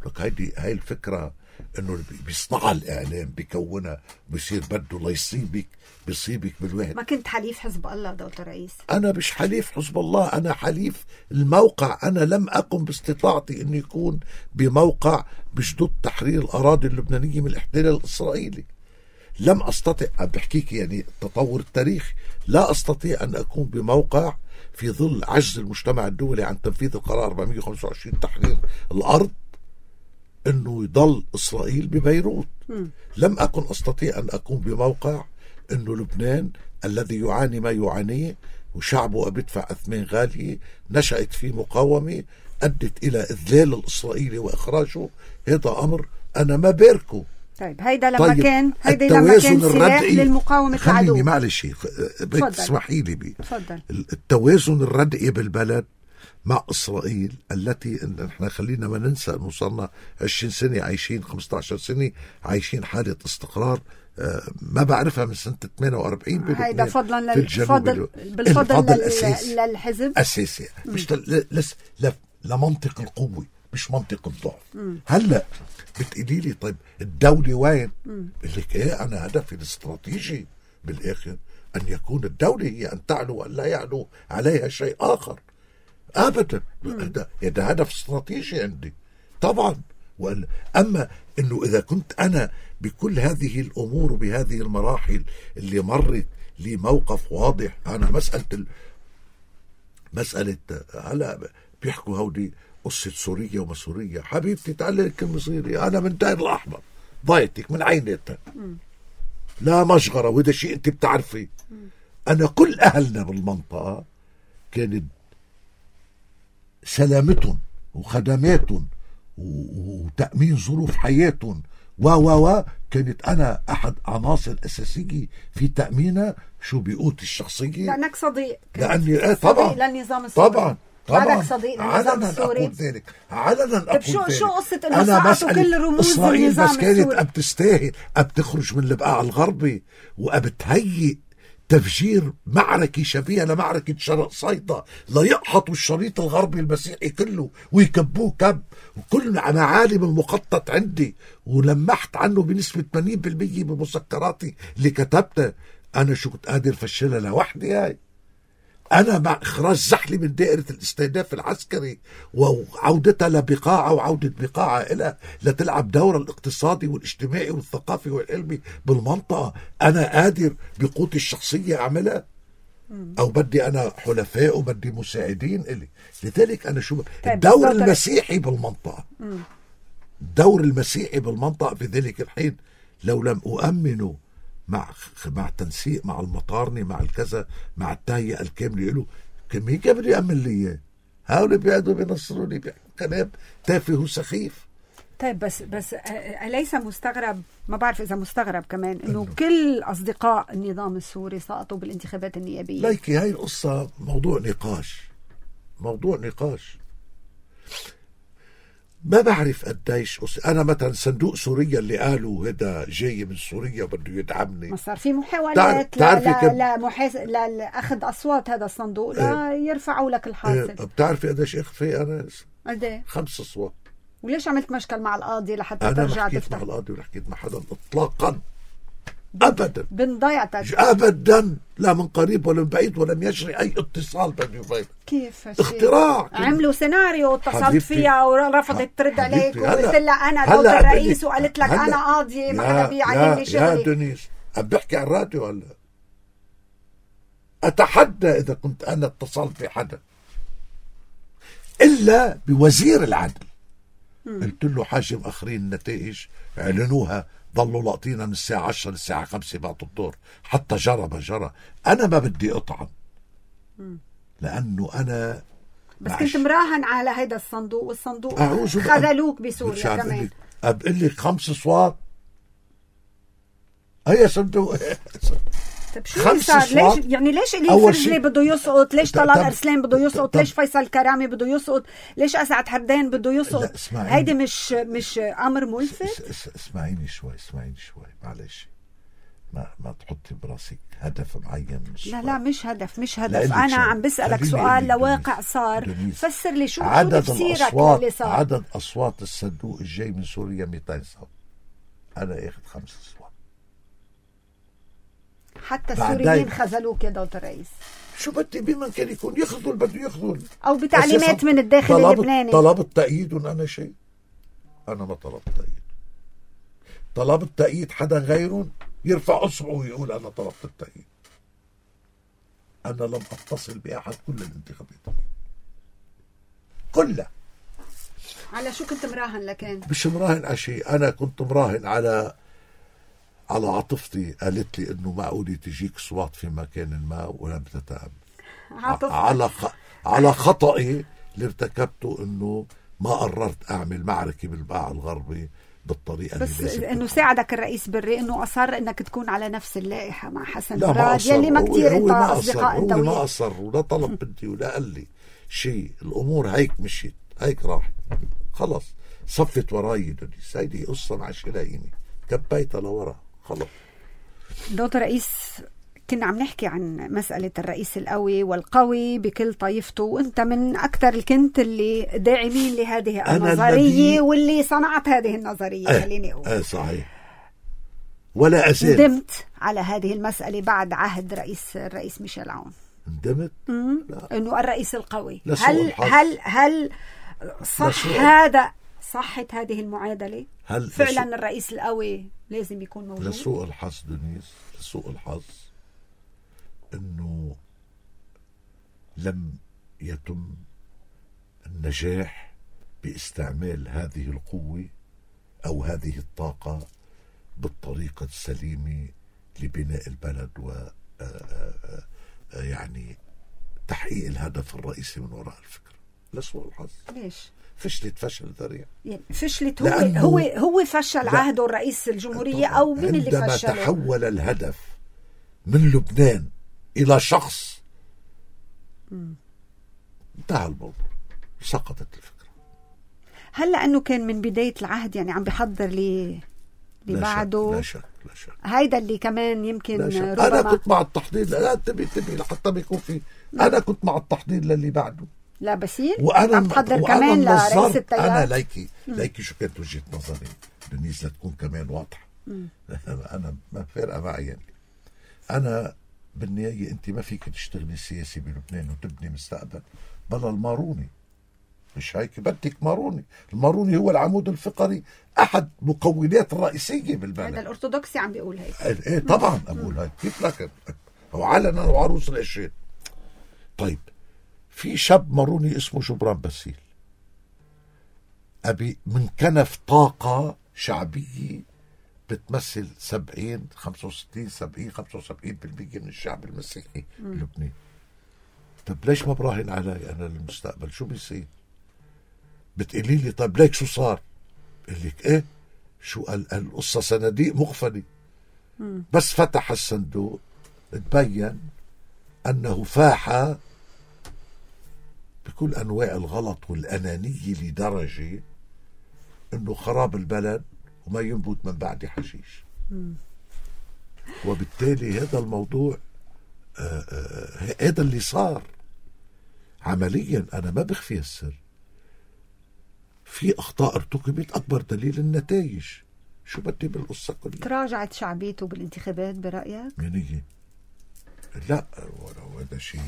لك هاي الفكرة انه بيصنعها الاعلام، بيكونها، بيصير بده ليصيبك، بيصيبك بالوهد. ما كنت حليف حزب الله دكتور رئيس؟ انا مش حليف حزب الله، انا حليف الموقع. انا لم اقم باستطاعتي اني يكون بموقع بجدود تحرير الاراضي اللبنانية من الاحتلال الاسرائيلي. لم استطع، بحكيك يعني التطور التاريخي، لا استطيع ان اكون بموقع في ظل عجز المجتمع الدولي عن تنفيذ القرار 425 تحرير الارض انه يضل اسرائيل ببيروت. لم اكن استطيع ان اكون بموقع انه لبنان الذي يعاني ما يعانيه وشعبه بيدفع اثمان غاليه، نشأت فيه مقاومه ادت الى اذلال الاسرائيلي واخراجه. هذا امر انا ما باركه. طيب هيدا لما كان سلاح للمقاومة العدو. خليني معلش تسمحي لي تفضل. التوازن الردئي بالبلد مع إسرائيل التي نحن خلينا ما ننسى أنه صرنا 20 سنة عايشين، 15 سنة عايشين حالة استقرار ما بعرفها من سنة 48 بلبنان. هيدا فضلا بالفضل للحزب أساسي، مش لمنطق القوة مش منطق الضعف. هلأ بتقولي لي طيب الدولة وين؟ بقول لك ايه، أنا هدفي الاستراتيجي بالآخر أن يكون الدولة هي أن تعلو وأن لا يعلو عليها شيء آخر. أبدا، هذا هدف استراتيجي عندي طبعا. أما أنه إذا كنت أنا بكل هذه الأمور وبهذه المراحل اللي مرت لي موقف واضح. أنا مسألة هلا بيحكوا هودي قصة سوريا وما سوريا. حبيبتي تعالي كلمة صغيرة، أنا من داير الأحمر، ضايتك من عينتها، لا مشغرة، وهذا شيء أنت بتعرفي. أنا كل أهلنا بالمنطقة كانت سلامتهم وخدماتهم وتأمين ظروف حياتهم كانت أنا أحد عناصر أساسية في تأمينها شو بقوتي الشخصية. لأنك صديق، لأني طبعا للنظام السوري. طبعا صديق للنظام السوري. أقول ذلك علنا. أقول ذلك. شو قصة إنه سقطوا كل رموز إسرائيل النظام بس كانت السوري؟ بتستاهل بتخرج من البقاع الغربي وبتهيئ تفجير معركة شبيهة لمعركة شرق صيدا ليقحطوا الشريط الغربي المسيحي كله ويكبوه كب. وكل معالم المخطط عندي ولمحت عنه بنسبة 80% بمذكراتي اللي كتبتها. أنا شو كنت قادر فشلها لوحدي. هاي أنا مع إخراج زحلي من دائرة الاستهداف العسكري وعودتها لبقاعة وعودة بقاعة إلى لتلعب دور الاقتصادي والاجتماعي والثقافي والعلمي بالمنطقة. أنا قادر بقوتي الشخصية أعملها أو بدي أنا حلفاء وبدي مساعدين إلي. لذلك أنا شو الدور المسيحي بالمنطقة دور المسيحي بالمنطقة في ذلك الحين لو لم أؤمنه مع تنسيق مع المطارنة مع الكذا مع التهيئة الكاملة له، مين كان بده يأمن لي؟ هؤلاء بيقعدوا بينصروني كلام تافه وسخيف. طيب بس أليس مستغرب، ما بعرف إذا مستغرب كمان، إنه كل أصدقاء النظام السوري سقطوا بالانتخابات النيابية؟ ليكي هاي القصة موضوع نقاش. ما بعرف قديش أنا مثلا صندوق سوريا اللي قالوا هذا جاي من سوريا وبده يدعمني، ما صار في محاولات لأخذ أصوات هذا الصندوق لا يرفعوا لك الحاصل. بتعرفي قديش أخذ فيه أنا؟ قديه؟ 5 أصوات. وليش عملت مشكل مع القاضي لحتى أنا ترجع ما حكيت تفتح؟ مع القاضي ولا حكيت مع حدا إطلاقا أبدا، بنضيعتك أبدا، لا من قريب ولا من بعيد، ولم يجري أي اتصال بيني وبينك. كيف اختراع عملوا سيناريو واتصلت فيها ورفضت ترد عليك وقلت لها أنا دوت الرئيس وقالت لك أنا قاضية ما حدا بيعيني شغلي. يا دنيس عم بحكي عن الراديو هلا، أتحدى إذا كنت أنا اتصلت بحدا إلا بوزير العدل. قلت له حاجة مأخرين النتائج، اعلنوها، ضلوا لاقطينا من الساعة 10 للساعة 5 بعد الظهر، حتى جرى. أنا ما بدي أطعن لأنه أنا بس كنت مراهن على هيدا الصندوق، والصندوق خذلوك بسوريا كمان. أبقل لك 5 أصوات هي صندوق. طيب شو صار؟ ليش يعني ليش إلي فرجلي بده يسقط؟ ليش طلال أرسلان بده يسقط؟ ليش فيصل كرامي بده يسقط؟ ليش أسعد حردان بده يسقط؟ هيدي مش أمر ملفت؟ اسمعيني شوي معلش، ما تحطي براسك هدف معين. لا مش هدف. أنا عم بسألك سؤال لواقع صار، فسر لي شو تفسيرك للي صار. عدد أصوات الصندوق الجاي من سوريا 200 صوت، أنا أخذ 5 أصوات. حتى السوريين خذلوك يا دوت الرئيس. شو بدي بمن كان يكون يخذل، بده يخذل أو بتعليمات من الداخل اللبناني. طلبت تأييدهم أنا شيء؟ أنا ما طلبت تأييد. طلبت تأييد حدا غيرهم يرفع أصبعه ويقول أنا طلبت التأييد. أنا لم أتصل بأحد كل الانتخابات كلها. على شو كنت مراهن لكن؟ مش مراهن على شيء، أنا كنت مراهن على عاطفتي. قالت لي إنه معقولة تجيك صوات في مكان ما ولم تتأمل. على خطئي اللي ارتكبته إنه ما قررت أعمل معركة بالبقاع الغربي بالطريقة بس اللي لازم. إنه ساعدك الرئيس بري إنه أصر إنك تكون على نفس اللائحة مع حسن مراد يلي ما كتير أنت أصدقاء أنت وياه. ما أصر ولا طلب بدي ولا قال لي شيء. الأمور هيك مشيت، هيك راحت، خلص صفت وراي دنيس. هيدي قصة مع شلايني كبيتها لورا خلص. دكتور رئيس، كنا عم نحكي عن مسألة الرئيس القوي والقوي بكل طائفته، وانت من أكثر كنت اللي داعمين لهذه النظرية واللي صنعت هذه النظرية. خليني أقول صحيح، ولا أزال ندمت على هذه المسألة بعد عهد الرئيس ميشيل عون. ندمت إنه الرئيس القوي. هل صحت هذه المعادلة؟ هل فعلا الرئيس القوي لازم يكون موجود؟ لسوء الحظ دنيس، لسوء الحظ انه لم يتم النجاح باستعمال هذه القوة او هذه الطاقة بالطريقة السليمة لبناء البلد و يعني تحقيق الهدف الرئيسي من وراء الفكرة. لسوء الحظ. ليش؟ فشلت فشل ذريع. يعني فشلت هو فشل عهده الرئيس الجمهورية أو مين اللي فشله؟ عندما تحول الهدف من لبنان إلى شخص انتهى الموضوع، سقطت الفكرة. هل لأنه كان من بداية العهد يعني عم بيحضر بعده؟ لا شك. هيدا اللي كمان يمكن ربما أنا كنت مع التحضير. لا تبي لحتى بيكون في. أنا كنت مع التحضير للي بعده. لا بسير وأنا عم تحضر كمان لرئيس التيار. أنا ليكي شو كانت وجهة نظري دنيس لتكون كمان واضحة. أنا ما فارقة معي يعني. أنا بالنهاية أنت ما فيك تشتغلي سياسي بلبنان وتبني مستقبل بلا الماروني. مش هيك؟ بدك ماروني. الماروني هو العمود الفقري، أحد مكونات الرئيسية بالبلد. هذا الأرثوذكسي عم بيقول هيك. إيه طبعا أقول هيك. كيف لكن هو علنا وعروس العشرين. طيب في شاب ماروني اسمه جبران باسيل. أبي من كنف طاقة شعبية بتمثل 70 65 70 75% من الشعب المسيحي اللبناني. طب ليش ما براهن علي أنا للمستقبل؟ شو بيصير؟ بتقولي لي طب ليك شو صار؟ بقول لك إيه؟ شو القصة صناديق مغفلة. بس فتح الصندوق تبين أنه فاح بكل أنواع الغلط والأنانية لدرجة أنه خراب البلد وما ينبت من بعد حشيش. وبالتالي هذا الموضوع هذا اللي صار عمليا. أنا ما بخفي السر، في أخطاء ارتكبت، أكبر دليل النتائج. شو بدي بالقصة كلها؟ تراجعت شعبيته بالانتخابات برأيك؟ منية؟ لا، هذا شيء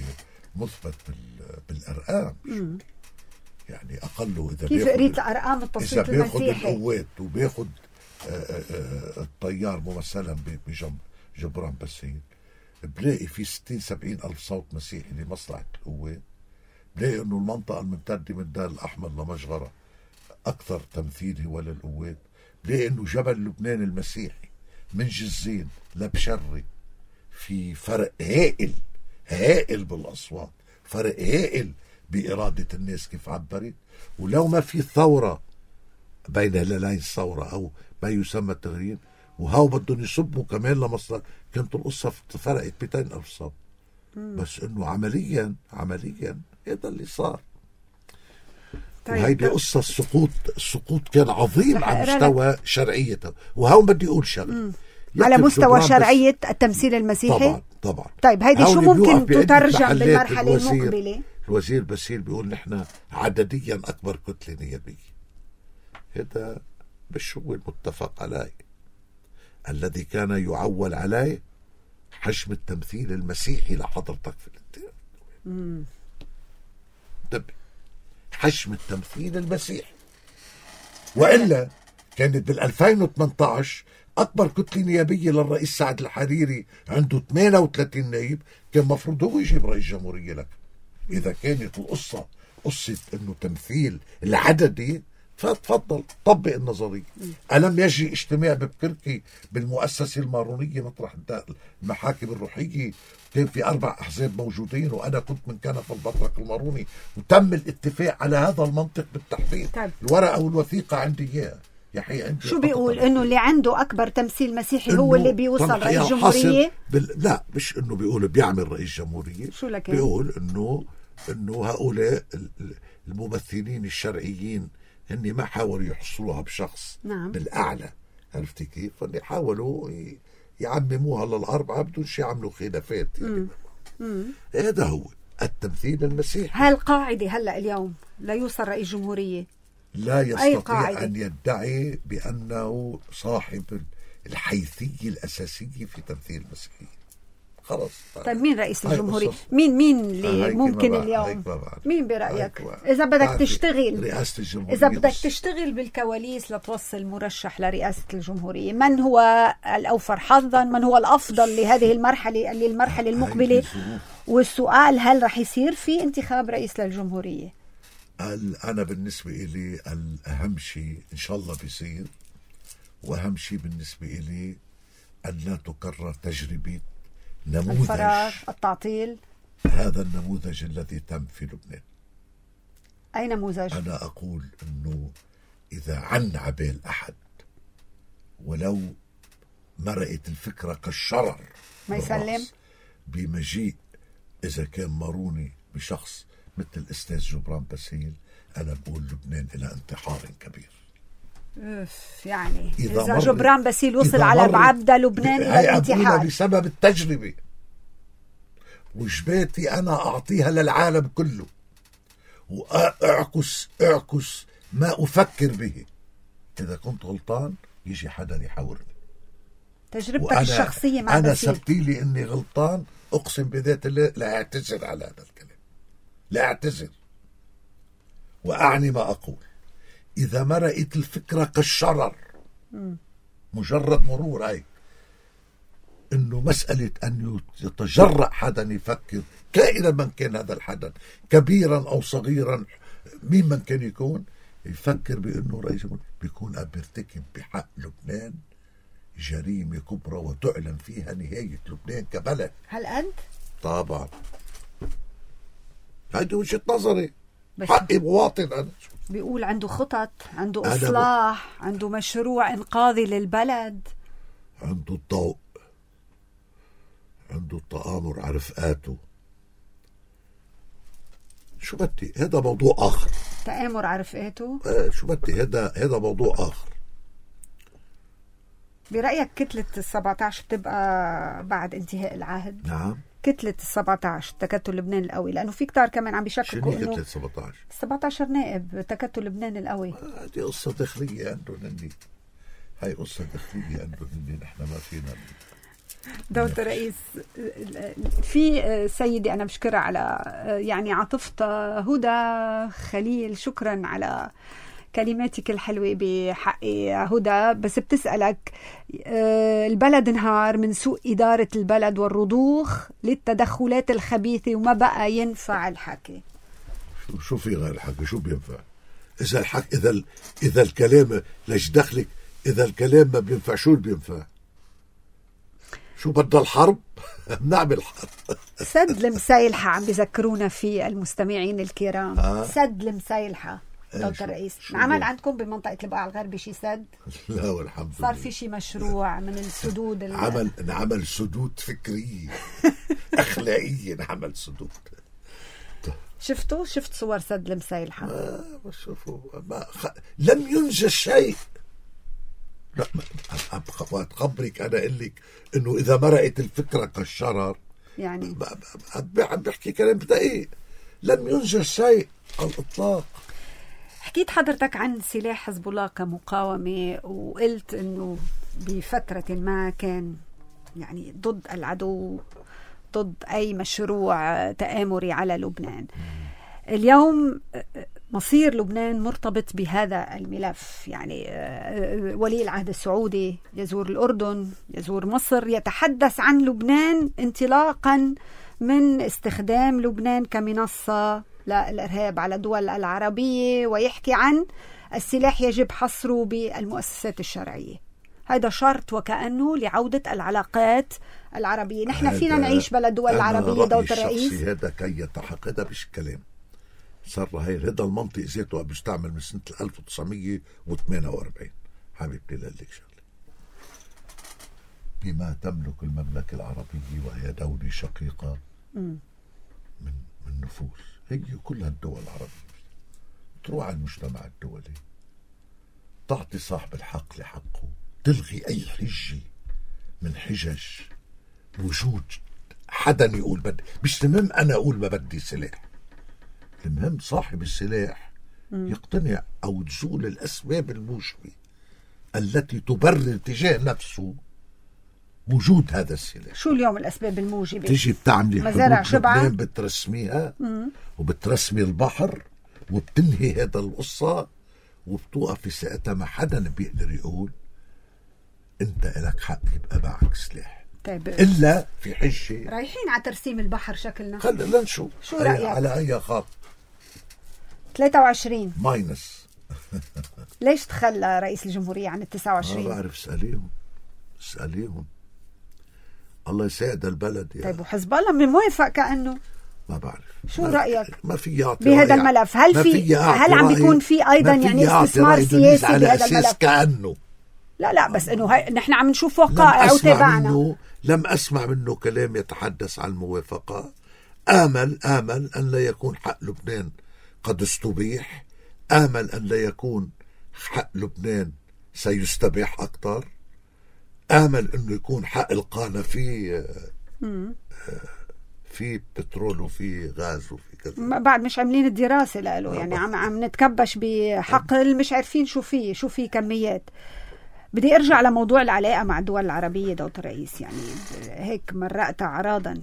مثبت بالأرقام. يعني أقله إذا كيف قريت الأرقام التصويت المسيحي؟ إذا بياخد القوات وبياخد الطيار ممثلا بجبران باسيل، بلاقي في 60-70 ألف صوت مسيحي لمصلحة القوات. بلاقي أنه المنطقة الممتدة من دار الأحمر لمجغرة أكثر تمثيل هو للقوات. بلاقي أنه جبل لبنان المسيحي من جزين لبشري في فرق هائل بالأصوات، فرق هائل بإرادة الناس كيف عبرت. ولو ما في ثورة بين هلالين الثورة أو ما يسمى التغيير، وهاو بدهم يصبوا كمان لمصلحة، كانت القصة فرقت 200 ألف صوت. بس إنه عمليا هذا اللي صار. طيب، وهيدي قصة السقوط كان عظيم على مستوى شرعيته. وهون بدي أقول شغله على مستوى شرعية التمثيل المسيحي. طبعا. طيب هيدي شو ممكن تترجم بالمرحلة المقبلة؟ الوزير باسيل بيقول نحن عدديا أكبر كتلة نيابية. هذا مش هو المتفق عليه. الذي كان يعول عليه حجم التمثيل المسيحي لحضرتك في الانتخابات. طب حجم التمثيل المسيحي، وإلا كانت بال2018 أكبر كتلة نيابية للرئيس سعد الحريري عنده 38 نائب، كان مفروض هو يجيب رئيس جمهورية لك. إذا كانت القصة قصة إنه تمثيل العددي، فتفضل طبق النظرية. ألم يجري اجتماع ببكركي بالمؤسسة المارونية مطرح المحاكم الروحية، كان في 4 أحزاب موجودين وأنا كنت من كنف البطرك الماروني، وتم الاتفاق على هذا المنطق بالتحديد. الورقة والوثيقة عندي إياها. شو بيقول؟ انه اللي عنده اكبر تمثيل مسيحي هو اللي بيوصل رئيس جمهورية؟ لا، مش انه بيقول بيعمل رئيس جمهورية. شو لك؟ بيقول انه هؤلاء الممثلين الشرعيين هن ما حاولوا يحصلوها بشخص. نعم. بالاعلى، عرفتي كيف؟ فاللي حاولوا يعمموها للأربعة بدون شيء يعملوا خلافات. هذا هو التمثيل المسيحي. هالقاعدة هلا اليوم لا يوصل رئيس جمهورية لا يستطيع أن يدعي بأنه صاحب الحيثية الأساسية في تمثيل المسيحيين. خلاص. طيب مين رئيس الجمهورية؟ مين اللي ممكن اليوم؟ مين برأيك؟ إذا بدك تشتغل رئاسة الجمهورية، إذا بدك تشتغل بالكواليس لتوصل مرشح لرئاسة الجمهورية، من هو الأوفر حظا؟ من هو الأفضل لهذه المرحلة المقبلة؟ والسؤال، هل رح يصير في انتخاب رئيس للجمهورية؟ أنا بالنسبة إلي الأهم شيء إن شاء الله بيصير، وأهم شيء بالنسبة إلي أن لا تكرر تجربة نموذج الفراغ، التعطيل. هذا النموذج الذي تم في لبنان. أي نموذج؟ أنا أقول أنه إذا عن عبال أحد ولو مرقت الفكرة كالشرر ما يسلم بمجيء إذا كان ماروني بشخص مثل الأستاذ جبران باسيل، أنا بقول لبنان إلى انتحار كبير. يعني إذا جبران باسيل وصل على بعبدة لبنان إلى الانتحار بسبب التجربة، وجباتي أنا أعطيها للعالم كله وأعكس ما أفكر به. إذا كنت غلطان يجي حدا يحاورني. تجربتك الشخصية مع أنا باسيل. سبتيلي إني غلطان، أقسم بذات الله لا أعتذر على هذا الكلام، لا أعتذر وأعني ما أقول. إذا مرقت الفكرة كالشرر، مجرد مرور هاي إنه مسألة أن يتجرأ حدا يفكر كائنا من كان هذا الحدا، كبيرا أو صغيرا، مين من كان يكون، يفكر بأنه رئيس بيكون عم بيرتكب بحق لبنان جريمة كبرى وتعلن فيها نهاية لبنان كبلد. هل أنت؟ طبعا هذه وجهة نظري، حقي مواطن أنا. بيقول عنده خطط، عنده إصلاح، عنده مشروع إنقاذي للبلد، عنده الضوء، عنده التآمر على رفقاته. شو بدي، هذا موضوع آخر. تآمر على رفقاته؟ شو بدي، هذا موضوع آخر. برأيك كتلة 17 بتبقى بعد انتهاء العهد؟ نعم. كتلة 17 تكتل لبنان القوي، لأنه في كتار كمان عم بيشككوا إنه كتلة 17 نائب تكتل لبنان القوي. هذه قصة داخلية عندهم هني، هاي قصة داخلية عندهم هني، نحن ما فينا. دولة الرئيس، في سيدة أنا بشكرها على يعني عاطفتها، هدى خليل، شكرا على كلماتك الحلوة بحق هدى، بس بتسألك البلد انهار من سوء إدارة البلد والرضوخ للتدخلات الخبيثة وما بقى ينفع الحكي. شو في غير الحكي؟ شو بينفع؟ إذا الحكي إذا الكلام ليش دخلك؟ إذا الكلام ما بينفع شو بينفع؟ شو بدنا الحرب؟ نعمل حرب. سد المسايلحة عم بيذكرونا في المستمعين الكرام. سد المسايلحة دولة الرئيس عمل عندكم بمنطقة البقاع الغربي شي سد؟ لا والحمد لله. صار في شي مشروع من السدود نعمل سدود فكرية أخلاقية، نعمل سدود. شفت صور سد المسايلحة؟ ما شوفوا، لم ينجز شيء. لا خبرك أنا أقول لك إنه إذا مرقت الفكرة كالشرر يعني عم بحكي كلام دقيق. لم ينجز شيء على الإطلاق. حكيت حضرتك عن سلاح حزب الله كمقاومة، وقلت إنه بفترة ما كان يعني ضد العدو، ضد أي مشروع تآمري على لبنان. اليوم مصير لبنان مرتبط بهذا الملف، يعني ولي العهد السعودي يزور الأردن، يزور مصر، يتحدث عن لبنان انطلاقا من استخدام لبنان كمنصة للإرهاب على الدول العربية، ويحكي عن السلاح يجب حصره بالمؤسسات الشرعية. هذا شرط وكأنه لعودة العلاقات العربية. نحن فينا نعيش بلا دول العربية دولة الرئيس. هذا كي يتحقق، هذا مش كلام، صار هذا المنطق ذاته بيستعمل من سنة 1948. حبيبتي لك شغله، بما تملك المملكة العربية وهي دولة شقيقة من نفوذ، هي كل الدول العربية تروح على المجتمع الدولي، تعطي صاحب الحق لحقه، تلغي أي حجة من حجج وجود حدا يقول بدي. مش المهم أنا أقول ما بدي سلاح، المهم صاحب السلاح يقتنع أو تزول الأسباب الموجبة التي تبرر تجاه نفسه وجود هذا السلاح. شو اليوم الأسباب الموجبة؟ تيجي بتعملي مزارع شبعة، بترسميها وبترسمي البحر وبتنهي هذا القصة، وبتوقف ساعتها ما حدا بيقدر يقول انت لك حق يبقى معك سلاح. طيب. إلا في حجة رايحين على ترسيم البحر شكلنا. خلينا نشوف شو رأيك؟ على أي خط 23 ماينس. ليش تخلى رئيس الجمهورية عن 29؟ ما بعرف، اسأليهم الله يساعد البلد يعني. طيب وحزب الله من موافق كأنه؟ ما بعرف. شو رأيك؟ ما في يعطي بهذا الملف. هل عم بيكون في أيضا يعني استثمار سياسي بهذا الملف؟ كأنه لا بس إنه نحن عم نشوف وقائع وتابعنا. لم أسمع منه كلام يتحدث عن الموافقة. آمل أن لا يكون حق لبنان قد استبيح، آمل أن لا يكون حق لبنان سيستبيح أكثر، آمل أنه يكون حق القانا في بترول وفي غاز وفي كذا. بعد مش عاملين الدراسة له، يعني عم نتكبش بحقل، مش عارفين شو فيه كميات. بدي أرجع لموضوع العلاقة مع الدول العربية دولة الرئيس، يعني هيك مرقت أعراضا.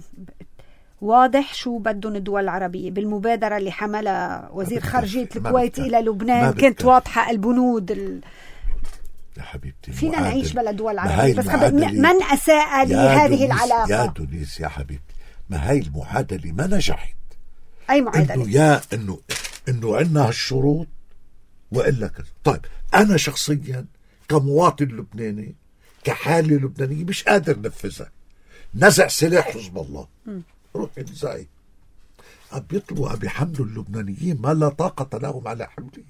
واضح شو بدهم الدول العربية بالمبادرة اللي حملها وزير خارجية الكويت إلى لبنان. كانت واضحة البنود يا حبيبتي، فينا نعيش بلا دول عربية، بس من أساء لهذه العلاقة؟ يا دونيس يا حبيبتي، ما هاي المعادلة ما نجحت. أي معادلة؟ إنه عندنا هالشروط وإلا كذا. طيب أنا شخصيا كمواطن لبناني كحالة لبنانية مش قادر نفذها. نزع سلاح حزب الله، روح انزعي. بيطلبوا بيحملوا اللبنانيين ما لا طاقة لهم على حمله.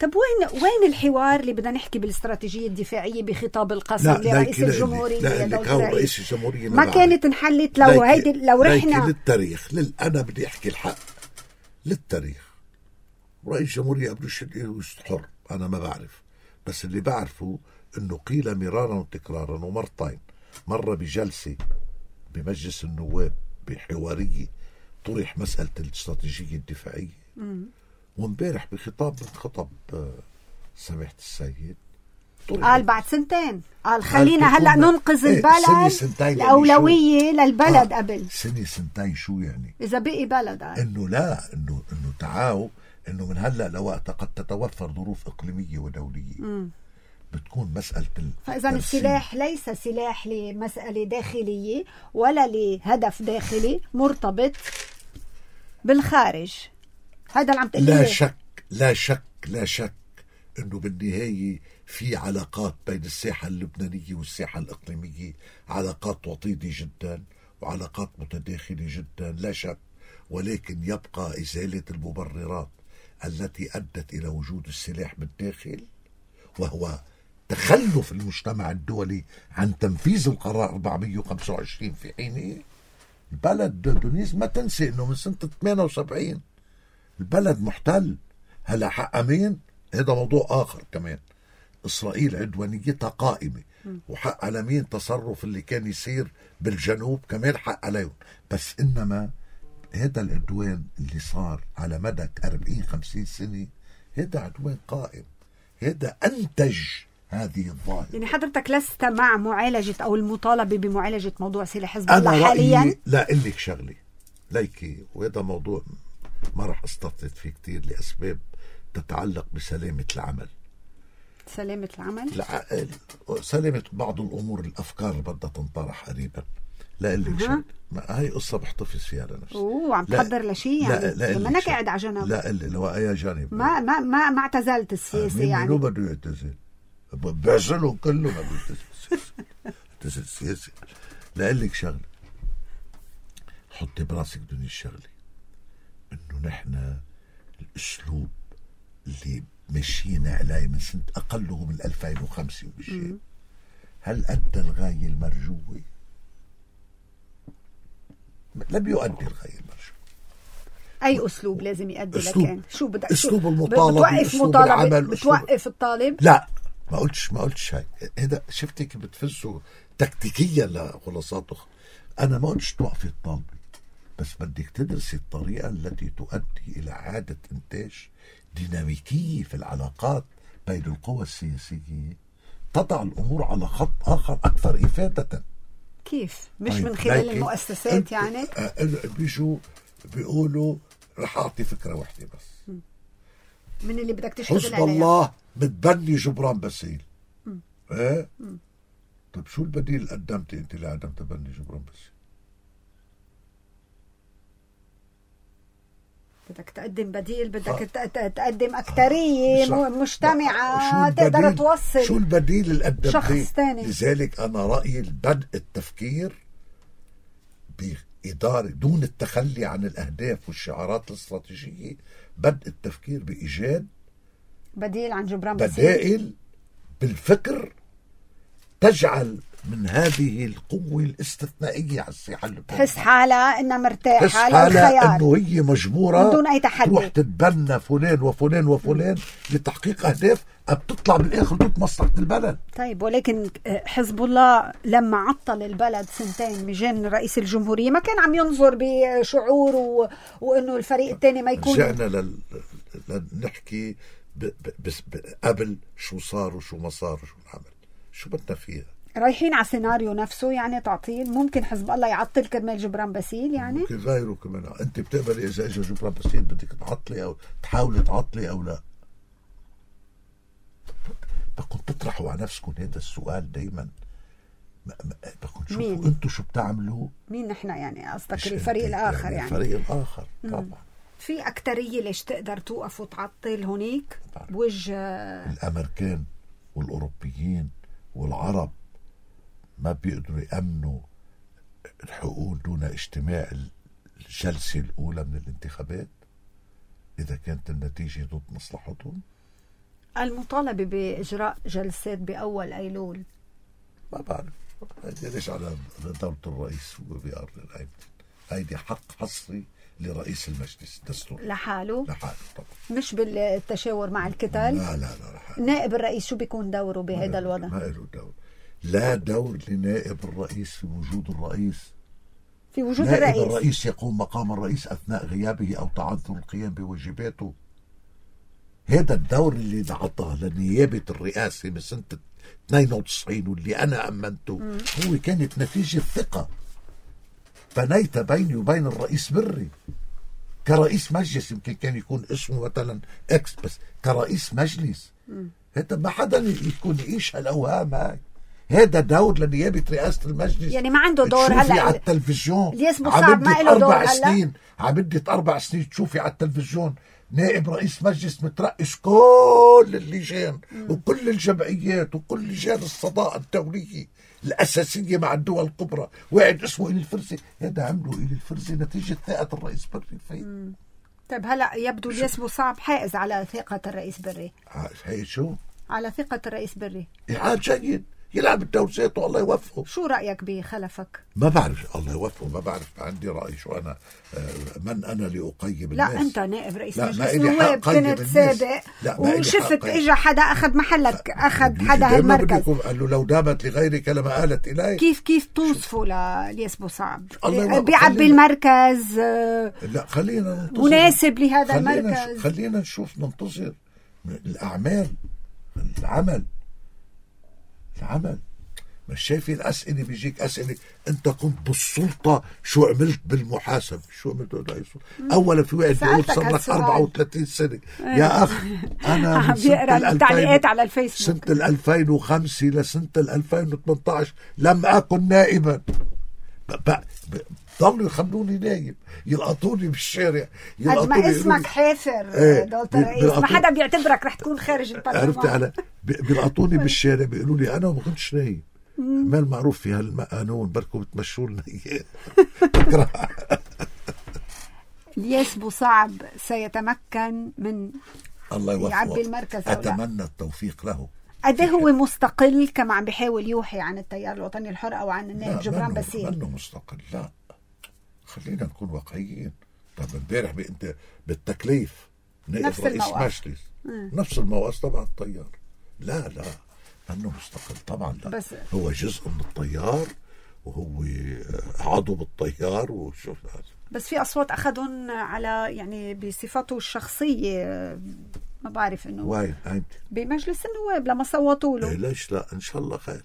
طب وين الحوار اللي بدنا نحكي بالاستراتيجية الدفاعية بخطاب القسم لرئيس الجمهورية؟ لا رئيس الجمهورية ما كانت انحلت لو رحنا للتاريخ. أنا بدي أحكي الحق للتاريخ. رئيس الجمهورية قبلوش حر، أنا ما بعرف، بس اللي بعرفه إنه قيل مرارا وتكرارا ومرتين. مرة بجلسة بمجلس النواب بحوارية طرح مسألة الاستراتيجية الدفاعية، وامبارح بخطاب من خطب سماحة السيد قال بعد سنتين، قال خلينا هلأ ننقذ البلد، الأولوية للبلد قبل سنتين. شو يعني إذا بقي بلد؟ إنه لا إنه تعاو إنه من هلأ لوقت قد تتوفر ظروف إقليمية ودولية بتكون مسألة فإذا السلاح ليس سلاح لمسألة داخلية ولا لهدف داخلي مرتبط بالخارج. هذا اللي عم تقوليه. لا شك انه بالنهاية في علاقات بين الساحة اللبنانية والساحة الإقليمية، علاقات وطيدة جدا وعلاقات متداخلة جدا، لا شك. ولكن يبقى إزالة المبررات التي أدت إلى وجود السلاح بالداخل، وهو تخلف المجتمع الدولي عن تنفيذ القرار 425 في حينه. البلد دونيس ما تنسي انه من سنة 78 البلد محتل. هلا حق مين؟ هذا موضوع آخر كمان. إسرائيل عدوانيتها قائمة، وحق على مين تصرف اللي كان يصير بالجنوب كمان حق عليهم. بس إنما هذا العدوان اللي صار على مدى 40-50 سنة هذا عدوان قائم، هذا أنتج هذه الظاهرة. يعني حضرتك لست مع معالجة أو المطالبة بمعالجة موضوع سلاح حزب الله حاليا؟ لا أقول لك شغلي ليكي، وهذا موضوع ما رح استفسر فيه كتير لأسباب تتعلق بسلامة العمل. سلامة العمل؟ لا، سلامة بعض الأمور، الأفكار اللي بدها تنطرح قريبا. لا أقول لك شغلي، هاي قصة بحتفظ فيها لنفسي. عم تحضر لشيء يعني؟ لما أنك قاعد على جنب. لا لو أي جانب ما اعتزلت السياسة يعني؟ مين بده يعتزل؟ بعزلهم كلهم ما يعتزل السياسة. لا أقول لك شغلي، حطي براسك دوني الشغلي إنه نحن الأسلوب اللي مشينا عليه من سنة أقله من 2005 وبشيء، هل أدى الغاية المرجوة؟ لم يؤدي الغاية المرجوة. أي أسلوب لازم يؤدي لكان؟ شو بدك؟ أسلوب المطالبة، بتوقف مطالبة، بتوقف الطالب؟ لا ما قلتش هاي. هذا شفتك بتفزوا تكتيكيا لخلاصات أخرى. أنا ما قلتش توقفي الطالبة، بس بدك تدرسي الطريقة التي تؤدي إلى إعادة إنتاج ديناميكية في العلاقات بين القوى السياسية، تضع الأمور على خط آخر أكثر إفادة. كيف؟ مش من خلال المؤسسات يعني؟ بيجوا بيقولوا رح أعطي فكرة واحدة بس، من اللي بدك تشتغل عليها. حزب الله بتبني جبران باسيل. ايه؟ طيب شو البديل اللي قدمتي انت لعدم تبني جبران باسيل؟ بدك تقدم بديل، بدك تقدم أكترية مجتمعة تقدر توصل. شو البديل اللي قدمتيه؟ شخص تاني. لذلك أنا رأيي بدء التفكير بإدارة دون التخلي عن الأهداف والشعارات الاستراتيجية، بدء التفكير بإيجاد بديل عن جبران باسيل، بدائل بالفكر تجعل من هذه القوة الاستثنائية على الساحة اللبنانية تحس حالها إنها مرتاحة، تحس حالها إنه هي مجبورة بدون أي تحدي تروح تتبنى فلان وفلان وفلان لتحقيق أهداف بتطلع بالآخر ضد مصلحة البلد. طيب ولكن حزب الله لما عطل البلد سنتين مجان رئيس الجمهورية ما كان عم ينظر بشعور وإنه الفريق الثاني ما يكون. رجعنا لنحكي بس قبل شو صار وشو ما صار وشو نعمل، شو بدنا فيها؟ رايحين على سيناريو نفسه يعني تعطيل. ممكن حزب الله يعطل كرمال جبران باسيل يعني؟ ممكن غيره كمان. انت بتقبلي اذا اجى جبران باسيل بدك تعطلي او تحاولي تعطلي او لا؟ بدكم تطرحوا على نفسكم هذا السؤال دايما. بدكم تشوفوا انتم شو بتعملوا. مين نحن يعني؟ قصدك الفريق الاخر يعني؟ الفريق الاخر طبعا. في أكترية ليش تقدر توقف وتعطل هونيك بوجه الأمريكان والأوروبيين والعرب ما بيقدروا يأمنوا الحقوق دون اجتماع الجلسة الأولى من الانتخابات إذا كانت النتيجة ضد مصلحتهم. المطالبة بإجراء جلسات بأول أيلول ما بعرف ليش على دولة الرئيس هو بيقرر. هيدي حق حصري لرئيس المجلس الدستوري لحاله طبعا، مش بالتشاور مع الكتل. لا لحاله. نائب الرئيس شو بيكون دوره بهذا الوضع؟ ما له دور. لا دور لنائب الرئيس في وجود الرئيس. في وجود نائب الرئيس يقوم مقام الرئيس أثناء غيابه أو تعذر القيام بواجباته. هذا الدور اللي انعطى لنيابة الرئاسة من سنة 92 واللي أنا أمنته هو كانت نتيجة ثقة بنيت بيني وبين الرئيس بري كرئيس مجلس. يمكن كان يكون اسمه مثلا اكس، بس كرئيس مجلس هذا ما حدا يكون يعيش هالأوهام هاي. هذا دور لنيابة رئاسة المجلس. يعني ما عنده دور هلا على التلفزيون عمدة 4 سنين، عمدة 4 سنين تشوفي على التلفزيون نائب رئيس مجلس مترأس كل اللجان وكل الجمعيات وكل لجان الصداقة الدولية الأساسية مع الدول الكبرى، واحد اسمه إلي الفرزي. هذا عملوا إلي الفرزي نتيجة ثقة الرئيس بري فيه. طيب هلا يبدو الياس بوصعب حائز على ثقة الرئيس بري. هي شو؟ على ثقة الرئيس بري. إعاد جيد يلعب الدوسات والله يوفقه. شو رأيك بخلفك؟ ما بعرف، الله يوفقه. ما بعرف، ما عندي رأي. شو أنا من أنا لأقيم الناس؟ لا أنت نائب رئيس مجلس النواب كنت سابق وشفت إجا حدا أخذ محلك، أخذ حدا هالمركز. قال له لو دامت لغيرك لما قالت إلي. كيف توصفوا للياس بوصعب؟ بيعبي المركز. لا خلينا مناسب لهذا المركز. خلينا نشوف ننتظر الأعمال. العمل مش شايفين الأسئلة بيجيك أسئلة أنت كنت بالسلطة شو عملت بالمحاسبة؟ شو عملت؟ أولا في واحد بيقول صار لك 34 سنة. يا أخ أنا بيقرأ التعليقات على الفيسبوك سنة 2005 لسنة 2018 لم أكن نائبا. ضلوا يخلوني نايم، يلقطوني بالشارع، قد ما اسمك حافر دولة الرئيس ما حدا بيعتبرك رح تكون خارج البرلمان. عرفت على بيلقطوني بالشارع بيقولوا لي أنا ما كنتش نايم. ما المعروف في هالقانون بركو بتمشوا لنا إياه. الياس بوصعب سيتمكن من الله يوفقه، يعبي المركز. أتمنى التوفيق له. قد هو مستقل كما عم بيحاول يوحي عن التيار الوطني الحر او عن النائب جبران باسيل؟ منه مستقل. لا خلينا نكون واقعيين. طب امبارح انت بالتكليف نائب رئيس مجلس نفس الموقف تبع التيار. لا منه مستقل طبعا. لا بس هو جزء من التيار وهو عضو بالتيار وشوف. بس في اصوات اخذهم على يعني بصفاته الشخصيه، ما بعرف انه وين بمجلس النواب لما صوتوا له. ليش لا؟ ان شاء الله خير.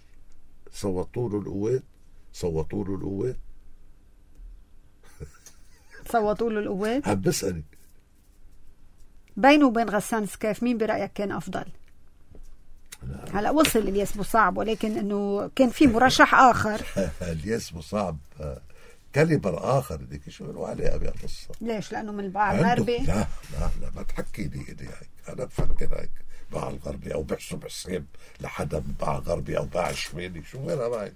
صوتوا له القوات. صوتوا له القوات. عم بسألي بينه وبين غسان سكاف مين برأيك كان افضل؟ هلا وصل الياس بوصعب، ولكن انه كان في مرشح اخر. الياس بوصعب كاليبر اخر. بدك شو له عليه بهالقصه؟ ليش؟ لانه من الباع الغربي. لا ما تحكي لي هيك. انا بفكر هيك باع الغربي او بحسب حساب لحدا من باع غربي او باع شمالي. شو غيرها معي؟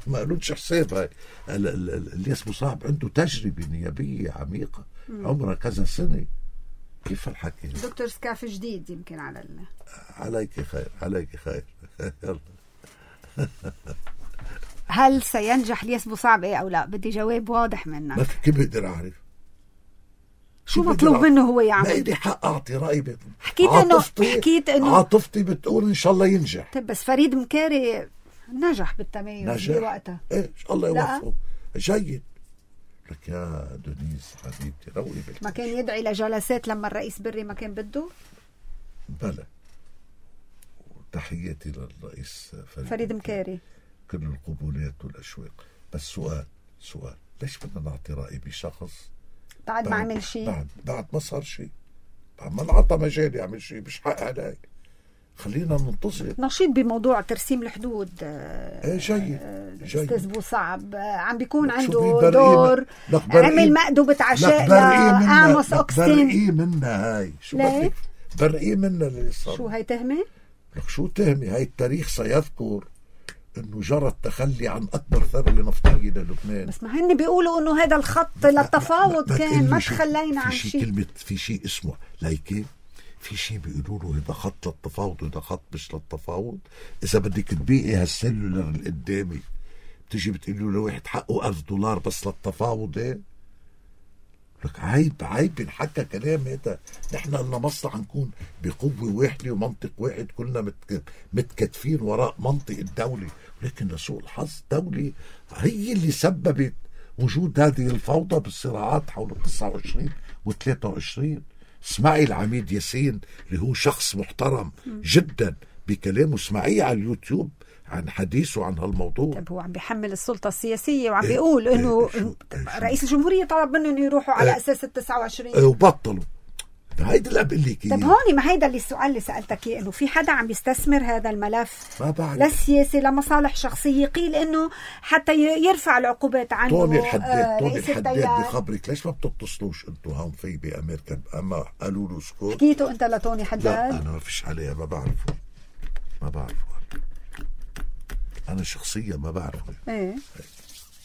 ما قالوش حساب. هاي الياس بوصعب عنده تجربه نيابيه عميقه عمرها كذا سنه. كيف الحكي؟ دكتور سكاف جديد يمكن عليك خير. يلا. هل سينجح الياس بوصعب او لا؟ بدي جواب واضح منك. ما في كيف بقدر اعرف شو مطلوب منه هو يعمل؟ ما إلي حق اعطي رايي. حكيت انه عاطفتي بتقول ان شاء الله ينجح. طيب بس فريد مكاري نجح بالتميز بوقتها. ايه الله يوفقه. جيد لك يا دونيس حبيبتي. روقي ما كان يدعي لجلسات لما الرئيس بري ما كان بده؟ بلى. تحياتي للرئيس فريد مكاري. كل القبولات والأشواق. بس سؤال ليش بدنا نعطي رأي بشخص بعد ما عمل شيء؟ بعد ما صار شيء، بعد ما انعطى مجال يعمل شيء. مش حق علي خلينا ننتظر. نشيط بموضوع ترسيم الحدود. جيد. أستاذ بوصعب عم بيكون عنده دور. عمل مأدبة عشاء لآموس أوكستين. برقيه منها هاي. شو بدك برقيه منها اللي صار؟ شو هاي تهمة؟ لك شو تهمة؟ هاي التاريخ سيذكر انه جرى التخلي عن اكبر ثروة نفطية للبنان. بس ما هن بيقولوا انه هذا الخط للتفاوض كان ما تخلينا عن شيء. في شيء اسمه لايكي، في شيء بيقولوا له هذا خط للتفاوض وهذا خط مش للتفاوض. اذا بدك تبيعي هالسلولر اللي قدامي بتيجي بتقولي له لواحد حقه $1000 بس للتفاوض. ايه لك عيب ينحكى كلام هذا. نحن لنا مصلحة نكون بقوة واحدة ومنطق واحد، كلنا متكتفين وراء منطق الدولة، ولكن لسوء الحظ الدولة هي اللي سببت وجود هذه الفوضى بالصراعات حول 29 و23. اسمعي العميد ياسين اللي هو شخص محترم جدا بكلامه، اسمعيه على اليوتيوب عن حديثه عن هالموضوع. طيب هو عم بيحمل السلطة السياسية وعم بيقول انه رئيس الجمهورية طلب منه انه يروحوا على اساس 29 وبطلوا. هيدا اللي بقول لك. طيب هون ما هيدا اللي السؤال اللي سألتك اياه، انه في حدا عم يستثمر هذا الملف للسياسة لمصالح شخصية، قيل انه حتى يرفع العقوبات عنه. توني الحداد بخبرك ليش ما بتتصلوش انتم هون في بأمريكا؟ اما قالوا له اسكت. حكيتوا انت لتوني حداد؟ لا انا ما فيش عليها، ما بعرفه انا شخصيا ما بعرفه. ايه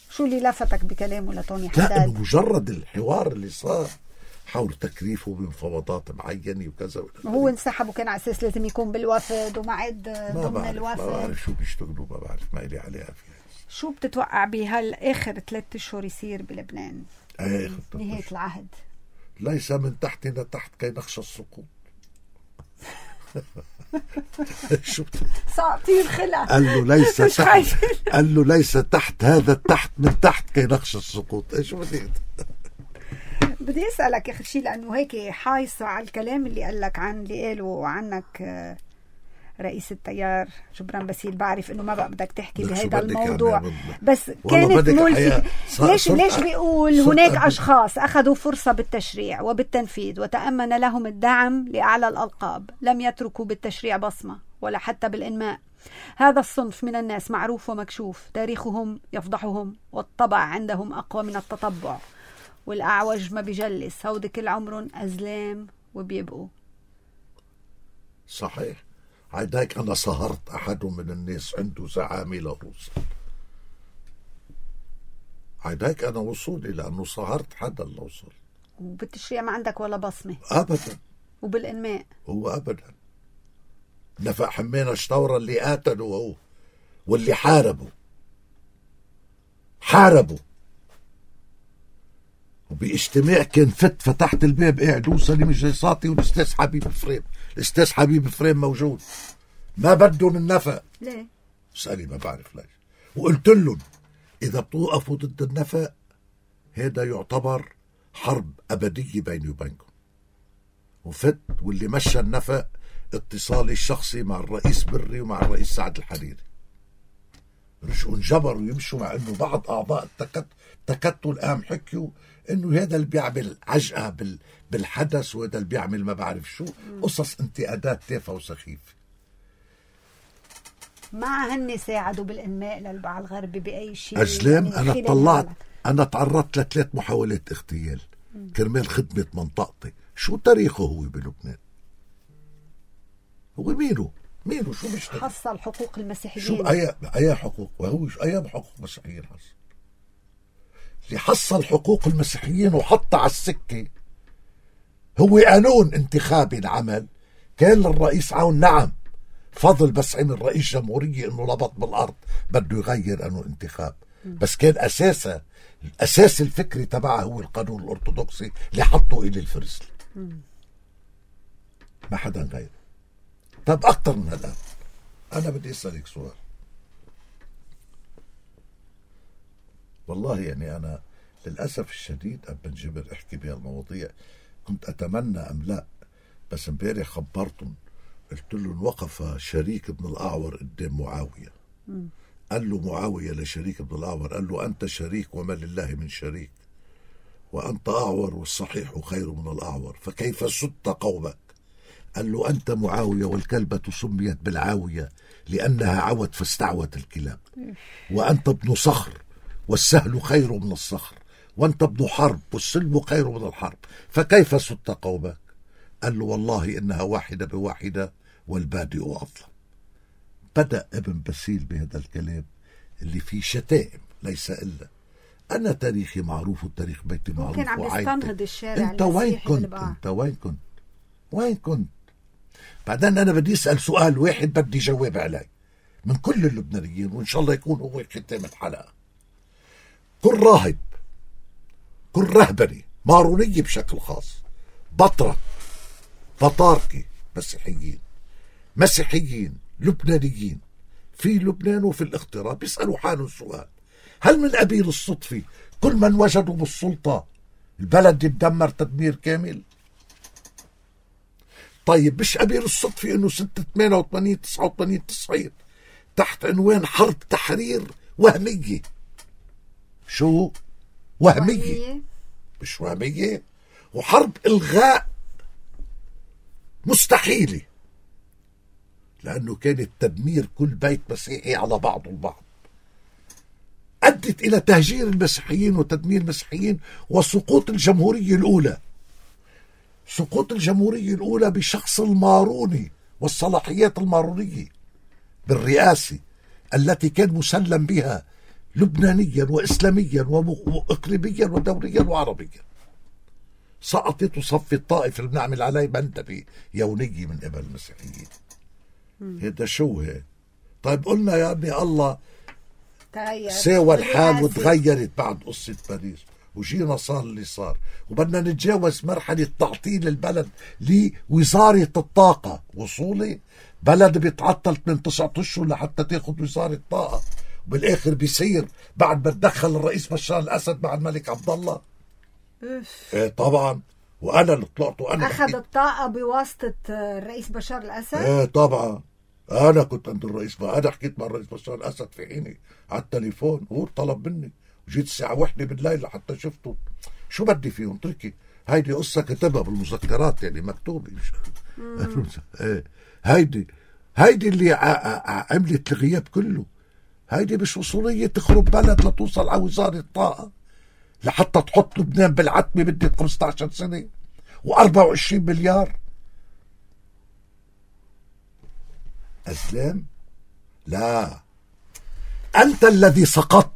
شو اللي لفتك بكلامه لتوني حداد؟ لا انه مجرد الحوار اللي صار حاول تكريفه بمفاوضات معينة وكذا. هو انسحب وكان على اساس لازم يكون بالوفد ومعد ضمن الوفد. ما بعرف شو بيشتغلوا، ما بعرف، ما إلي عليها فيها. شو بتتوقع بهالآخر 3 أشهر يصير بلبنان؟ نهاية العهد ليس من تحتنا تحت كي نخشى السقوط. شو ساعطيه الخلع. قال له ليس تحت هذا التحت من تحت كي نخشى السقوط. ايش بدي اسالك اخر شيء، لانه هيك حايصه على الكلام اللي قال لك عن اللي قاله عنك رئيس التيار جبران باسيل. بعرف انه ما بقى بدك تحكي بهذا الموضوع يعني بس كانت ملفتة. ليش بيقول هناك اشخاص اخذوا فرصة بالتشريع وبالتنفيذ وتأمن لهم الدعم لأعلى الألقاب، لم يتركوا بالتشريع بصمة ولا حتى بالإنماء. هذا الصنف من الناس معروف ومكشوف، تاريخهم يفضحهم والطبع عندهم أقوى من التطبع، والأعوج ما بيجلس، هودي كل عمرهم أزلام وبيبقوا. صحيح. عداك أنا صهرت أحد من الناس عنده زعامة لروسا. عداك أنا وصولي لأنه صهرت حدا اللي وصل. وبالتشريع ما عندك ولا بصمة أبدا. وبالإنماء هو أبدا. نفق حمينا شطورة اللي قاتلوا هو واللي حاربوا وباجتماع كان فتحت الباب قاعد وسليم الجيصاتي والاستاذ حبيب فريم موجود. ما بدهم النفق. ليه؟ اسألي ما بعرف ليش. وقلت لهم إذا بتوقفوا ضد النفق هذا يعتبر حرب أبدية بيني وبينكم. واللي مشى النفق اتصالي الشخصي مع الرئيس بري ومع الرئيس سعد الحريري. رجعوا انجبروا يمشوا، مع انه بعض اعضاء التكتل قام حكيوا انه هذا اللي بيعمل عجقه بالحدث وهذا اللي بيعمل ما بعرف شو، قصص انتقادات تافهه وسخيفه. ما هن ساعدوا بالانماء للبعض الغربي باي شيء. أجلام يعني انا تعرضت ل3 محاولات اغتيال كرمال خدمه منطقتي. شو تاريخه هو بلبنان؟ هو مينو شو مش حصل حقوق المسيحيين؟ شو اي حقوق؟ وهو اي حقوق المسيحيين حصل؟ اللي حصل حقوق المسيحيين وحط على السكه هو قانون انتخابي العمل كان للرئيس عون. نعم فضل بس عمل رئيس جمهورية انه لبط بالارض بده يغير قانون انتخاب، بس كان الاساس الفكري تبعه هو القانون الارثوذكسي اللي حطه الى الفرسل. ما حدا غيره. طب اكتر من هذا انا بدي اسالك سؤال. والله يعني انا للاسف الشديد ابن جبر احكي بهالمواضيع كنت اتمنى ام لا، بس امبارح خبرتهم قلت لهم وقف شريك بن الأعور قدام معاوية. قال له معاوية لشريك بن الأعور، قال له أنت شريك وما لله من شريك، وأنت أعور والصحيح خير من الأعور، فكيف سدت قومك؟ قال له أنت معاوية والكلبة سميت بالعاوية لأنها عوت فاستعوت الكلاب، وأنت ابن صخر والسهل خير من الصخر، وأنت ابن حرب والسلم خير من الحرب، فكيف سدت قومك؟ قال له والله إنها واحدة بواحدة والبادئ أظلم. بدأ ابن بسيل بهذا الكلام اللي فيه شتائم ليس إلا. أنا تاريخي معروف وتاريخ بيتي معروف. كان عم يستنهض الشارع. أنت وين كنت؟ أنت وين كنت؟ وين كنت؟ بعدين أنا بدي أسأل سؤال واحد بدي جواب عليه من كل اللبنانيين، وإن شاء الله يكون هو ختام الحلقة. كل راهب، كل رهبني مارونية بشكل خاص، بطرك، بطاركي، مسيحيين لبنانيين في لبنان وفي الاغتراب بيسألوا حالهم سؤال: هل من قبيل الصدفة كل من وجدوا بالسلطة البلد يتدمر تدمير كامل؟ طيب مش قبيل الصدفة انه سنة 88 89 90 تحت عنوان حرب تحرير وهمية. شو وهمية؟ مش وهمية، وحرب إلغاء مستحيلة، لأنه كانت تدمير كل بيت مسيحي على بعضه البعض، أدت إلى تهجير المسيحيين وتدمير المسيحيين وسقوط الجمهورية الأولى. سقوط الجمهورية الأولى بشخص الماروني والصلاحيات المارونية بالرئاسة التي كان مسلم بها لبنانيا وإسلاميا وإقليميا ودوليا وعربيا. سقطت وصف الطائف اللي بنعمل عليه منتبه يونية من قبل المسيحيين. هذا شو هيك؟ طيب قلنا يا ابني الله ساوى الحال وتغيرت بعد قصة باريس وجينا صار اللي صار، وبدنا نتجاوز مرحلة تعطيل البلد لوزارة الطاقة. وصولي بلد بيتعطل من 9 أشهر لحتى تاخد وزارة الطاقة، وبالآخر بيصير بعد ما تدخل الرئيس بشار الأسد مع الملك عبد الله. ايه طبعا، وانا اللي طلعت وانا اخذ الطاقة بواسطة الرئيس بشار الأسد. ايه طبعا، انا كنت عند الرئيس، ما انا حكيت مع الرئيس بشار الأسد في حيني على التليفون، هو طلب مني وجيت الساعة 1 بالليل لحتى شفته. شو بدي فيهم؟ تركي هيدي قصة كتبها بالمذكرات، يعني مكتوبة. ايه هيدي اللي عملت الغياب كله. هيدي مش وصولية تخرب بلد لتوصل على وزارة الطاقة لحتى تحط لبنان بالعتمة بدت 15 سنة و24 مليار. أسلام، لا، أنت الذي سقطت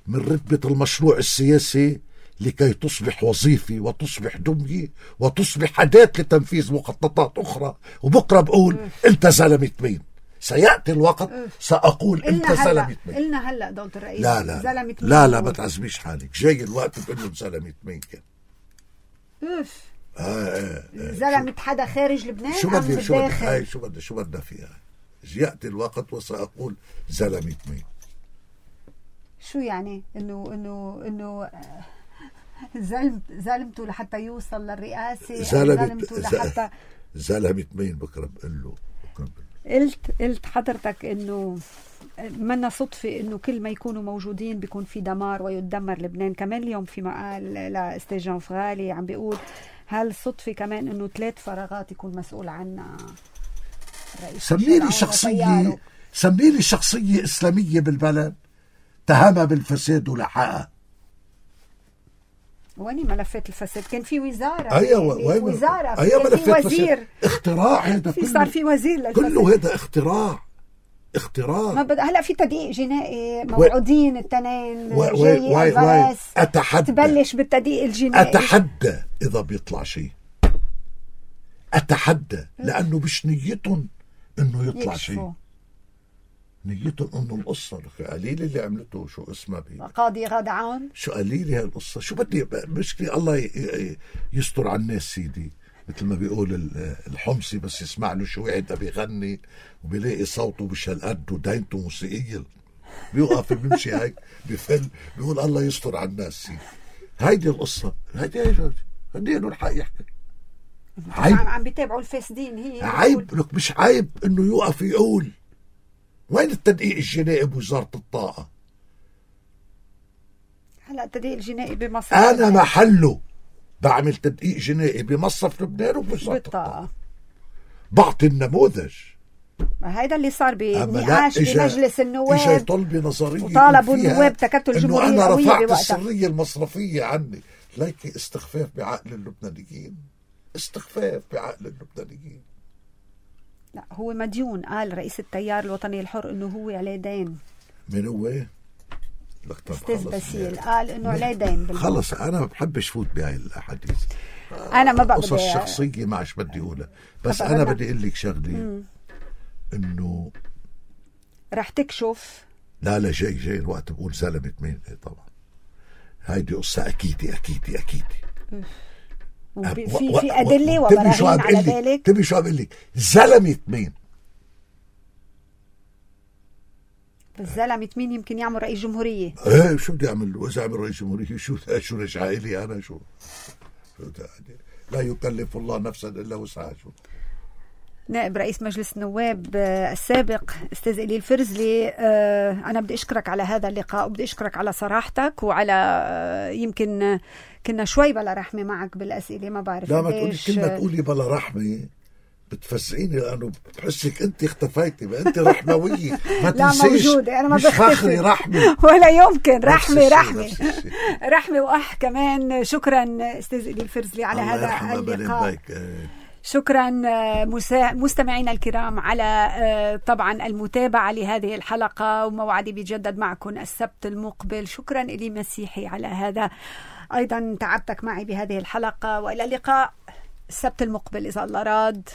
من رتبة المشروع السياسي لكي تصبح وظيفة وتصبح دمية وتصبح أداة لتنفيذ مخططات أخرى. وبكرة بقول أنت زلمة مين. سيأتي الوقت سأقول أنت زلمة مين. قلنا هلأ دولة الرئيس لا زلمة مين. لا ما تعزميش حالك، جاي الوقت بقول زلمة مين كان. زلمة حدا خارج لبنان شو أم بدي بالداخل؟ شو بدنا فيها. يأتي الوقت وسأقول زلمة مين. شو يعني؟ إنه زلمته لحتى يوصل للرئاسة، زلمته لحتى زلمة مين. بكرة بقول له قلت حضرتك إنه منا صدفة إنه كل ما يكونوا موجودين بيكون في دمار ويدمر لبنان. كمان اليوم في مقال لأستاذ جان فغالي عم بيقول هل صدفة كمان إنه 3 فراغات يكون مسؤول عنها الرئيس؟ سميلي شخصية إسلامية بالبلد اتهمها بالفساد ولحقها. وين ملفات الفساد؟ كان في وزارة. أيوة وزارة، أيوة في وزير. اختراع هذا كله. صار في وزير للفساد. كله هذا اختراع. هلا في تدقيق جنائي موعودين التنين جاي الفرس تبلش بالتدقيق الجنائي. أتحدى إذا بيطلع شيء، أتحدى، لأنه مش نيتهم إنه يطلع شيء، نيتهم إنه القصة قليل اللي عملته. شو اسمها قاضي غادعون. شو قليل هاي القصة. شو بدي مشكلة الله يستر على الناس سيدي. مثل ما بيقول الحمصي بس يسمع له شو واحد بيغني وبيلاقي صوته مش هالقد ودينته موسيقية بيوقف بيمشي هيك بفل بيقول الله يستر على الناس سيدي. هيدي القصة، هيدي له الحق يحكي. عيب عم بيتابعوا الفاسدين. هي عيب لك، مش عيب انه يوقف يقول وين التدقيق الجنائي بوزارة الطاقة؟ هلا التدقيق الجنائي بمصر انا محله بعمل تدقيق جنائي بمصرف لبنان وبوزارة بالطاقة. بعطي النموذج. هيدا اللي صار بنقاش بمجلس النواب. اجى طلبي نظريه وطالبوا النواب تكتل جمهورية انه انا رفعت بوقتها السرية المصرفية عني. ليكي استخفاف بعقل اللبنانيين، استخفاف بعقل اللبنانيين. لا هو مديون، قال رئيس التيار الوطني الحر انه هو عليه دين. من هو؟ استاذ باسيل قال انه عليه دين. خلص انا ما بحبش فوت بهاي الاحاديث، انا ما بقدر قصص شخصيه ما عادش بدي اقولها، بس انا بدي اقول لك شغله انه رح تكشف. لا جاي الوقت بقول زلمه مين. طبعا هيدي قصه اكيدي في ادله وبراهين على ذلك. تبي شو عم بقول لك؟ زلمه مين؟ الزلمة مين يمكن يعمل رئيس جمهورية؟ ايه شو بدي اعمل له؟ اذا اعمل رئيس جمهورية شو رجع لي انا؟ شو لا يكلف الله نفسا الا وسعها. شو نائب رئيس مجلس النواب السابق استاذ إلي الفرزلي، انا بدي اشكرك على هذا اللقاء وبدي اشكرك على صراحتك وعلى يمكن كنا شوي بلا رحمة معك بالاسئلة، ما بعرف. لا ما تقولي كلمة تقولي بلا رحمة بتفزعيني لانه بحسك انت اختفيتي. ما انت رحمويه ما تنسيش. لا موجوده، انا ما بختفي رحمه ولا يمكن. رحمه واح كمان. شكرا استاذ إلي الفرزلي على هذا اللقاء. شكرا مستمعينا الكرام على طبعا المتابعه لهذه الحلقه، وموعدي بيتجدد معكم السبت المقبل. شكرا إلي مسيحي على هذا ايضا تعبتك معي بهذه الحلقه، والى اللقاء السبت المقبل اذا الله راد.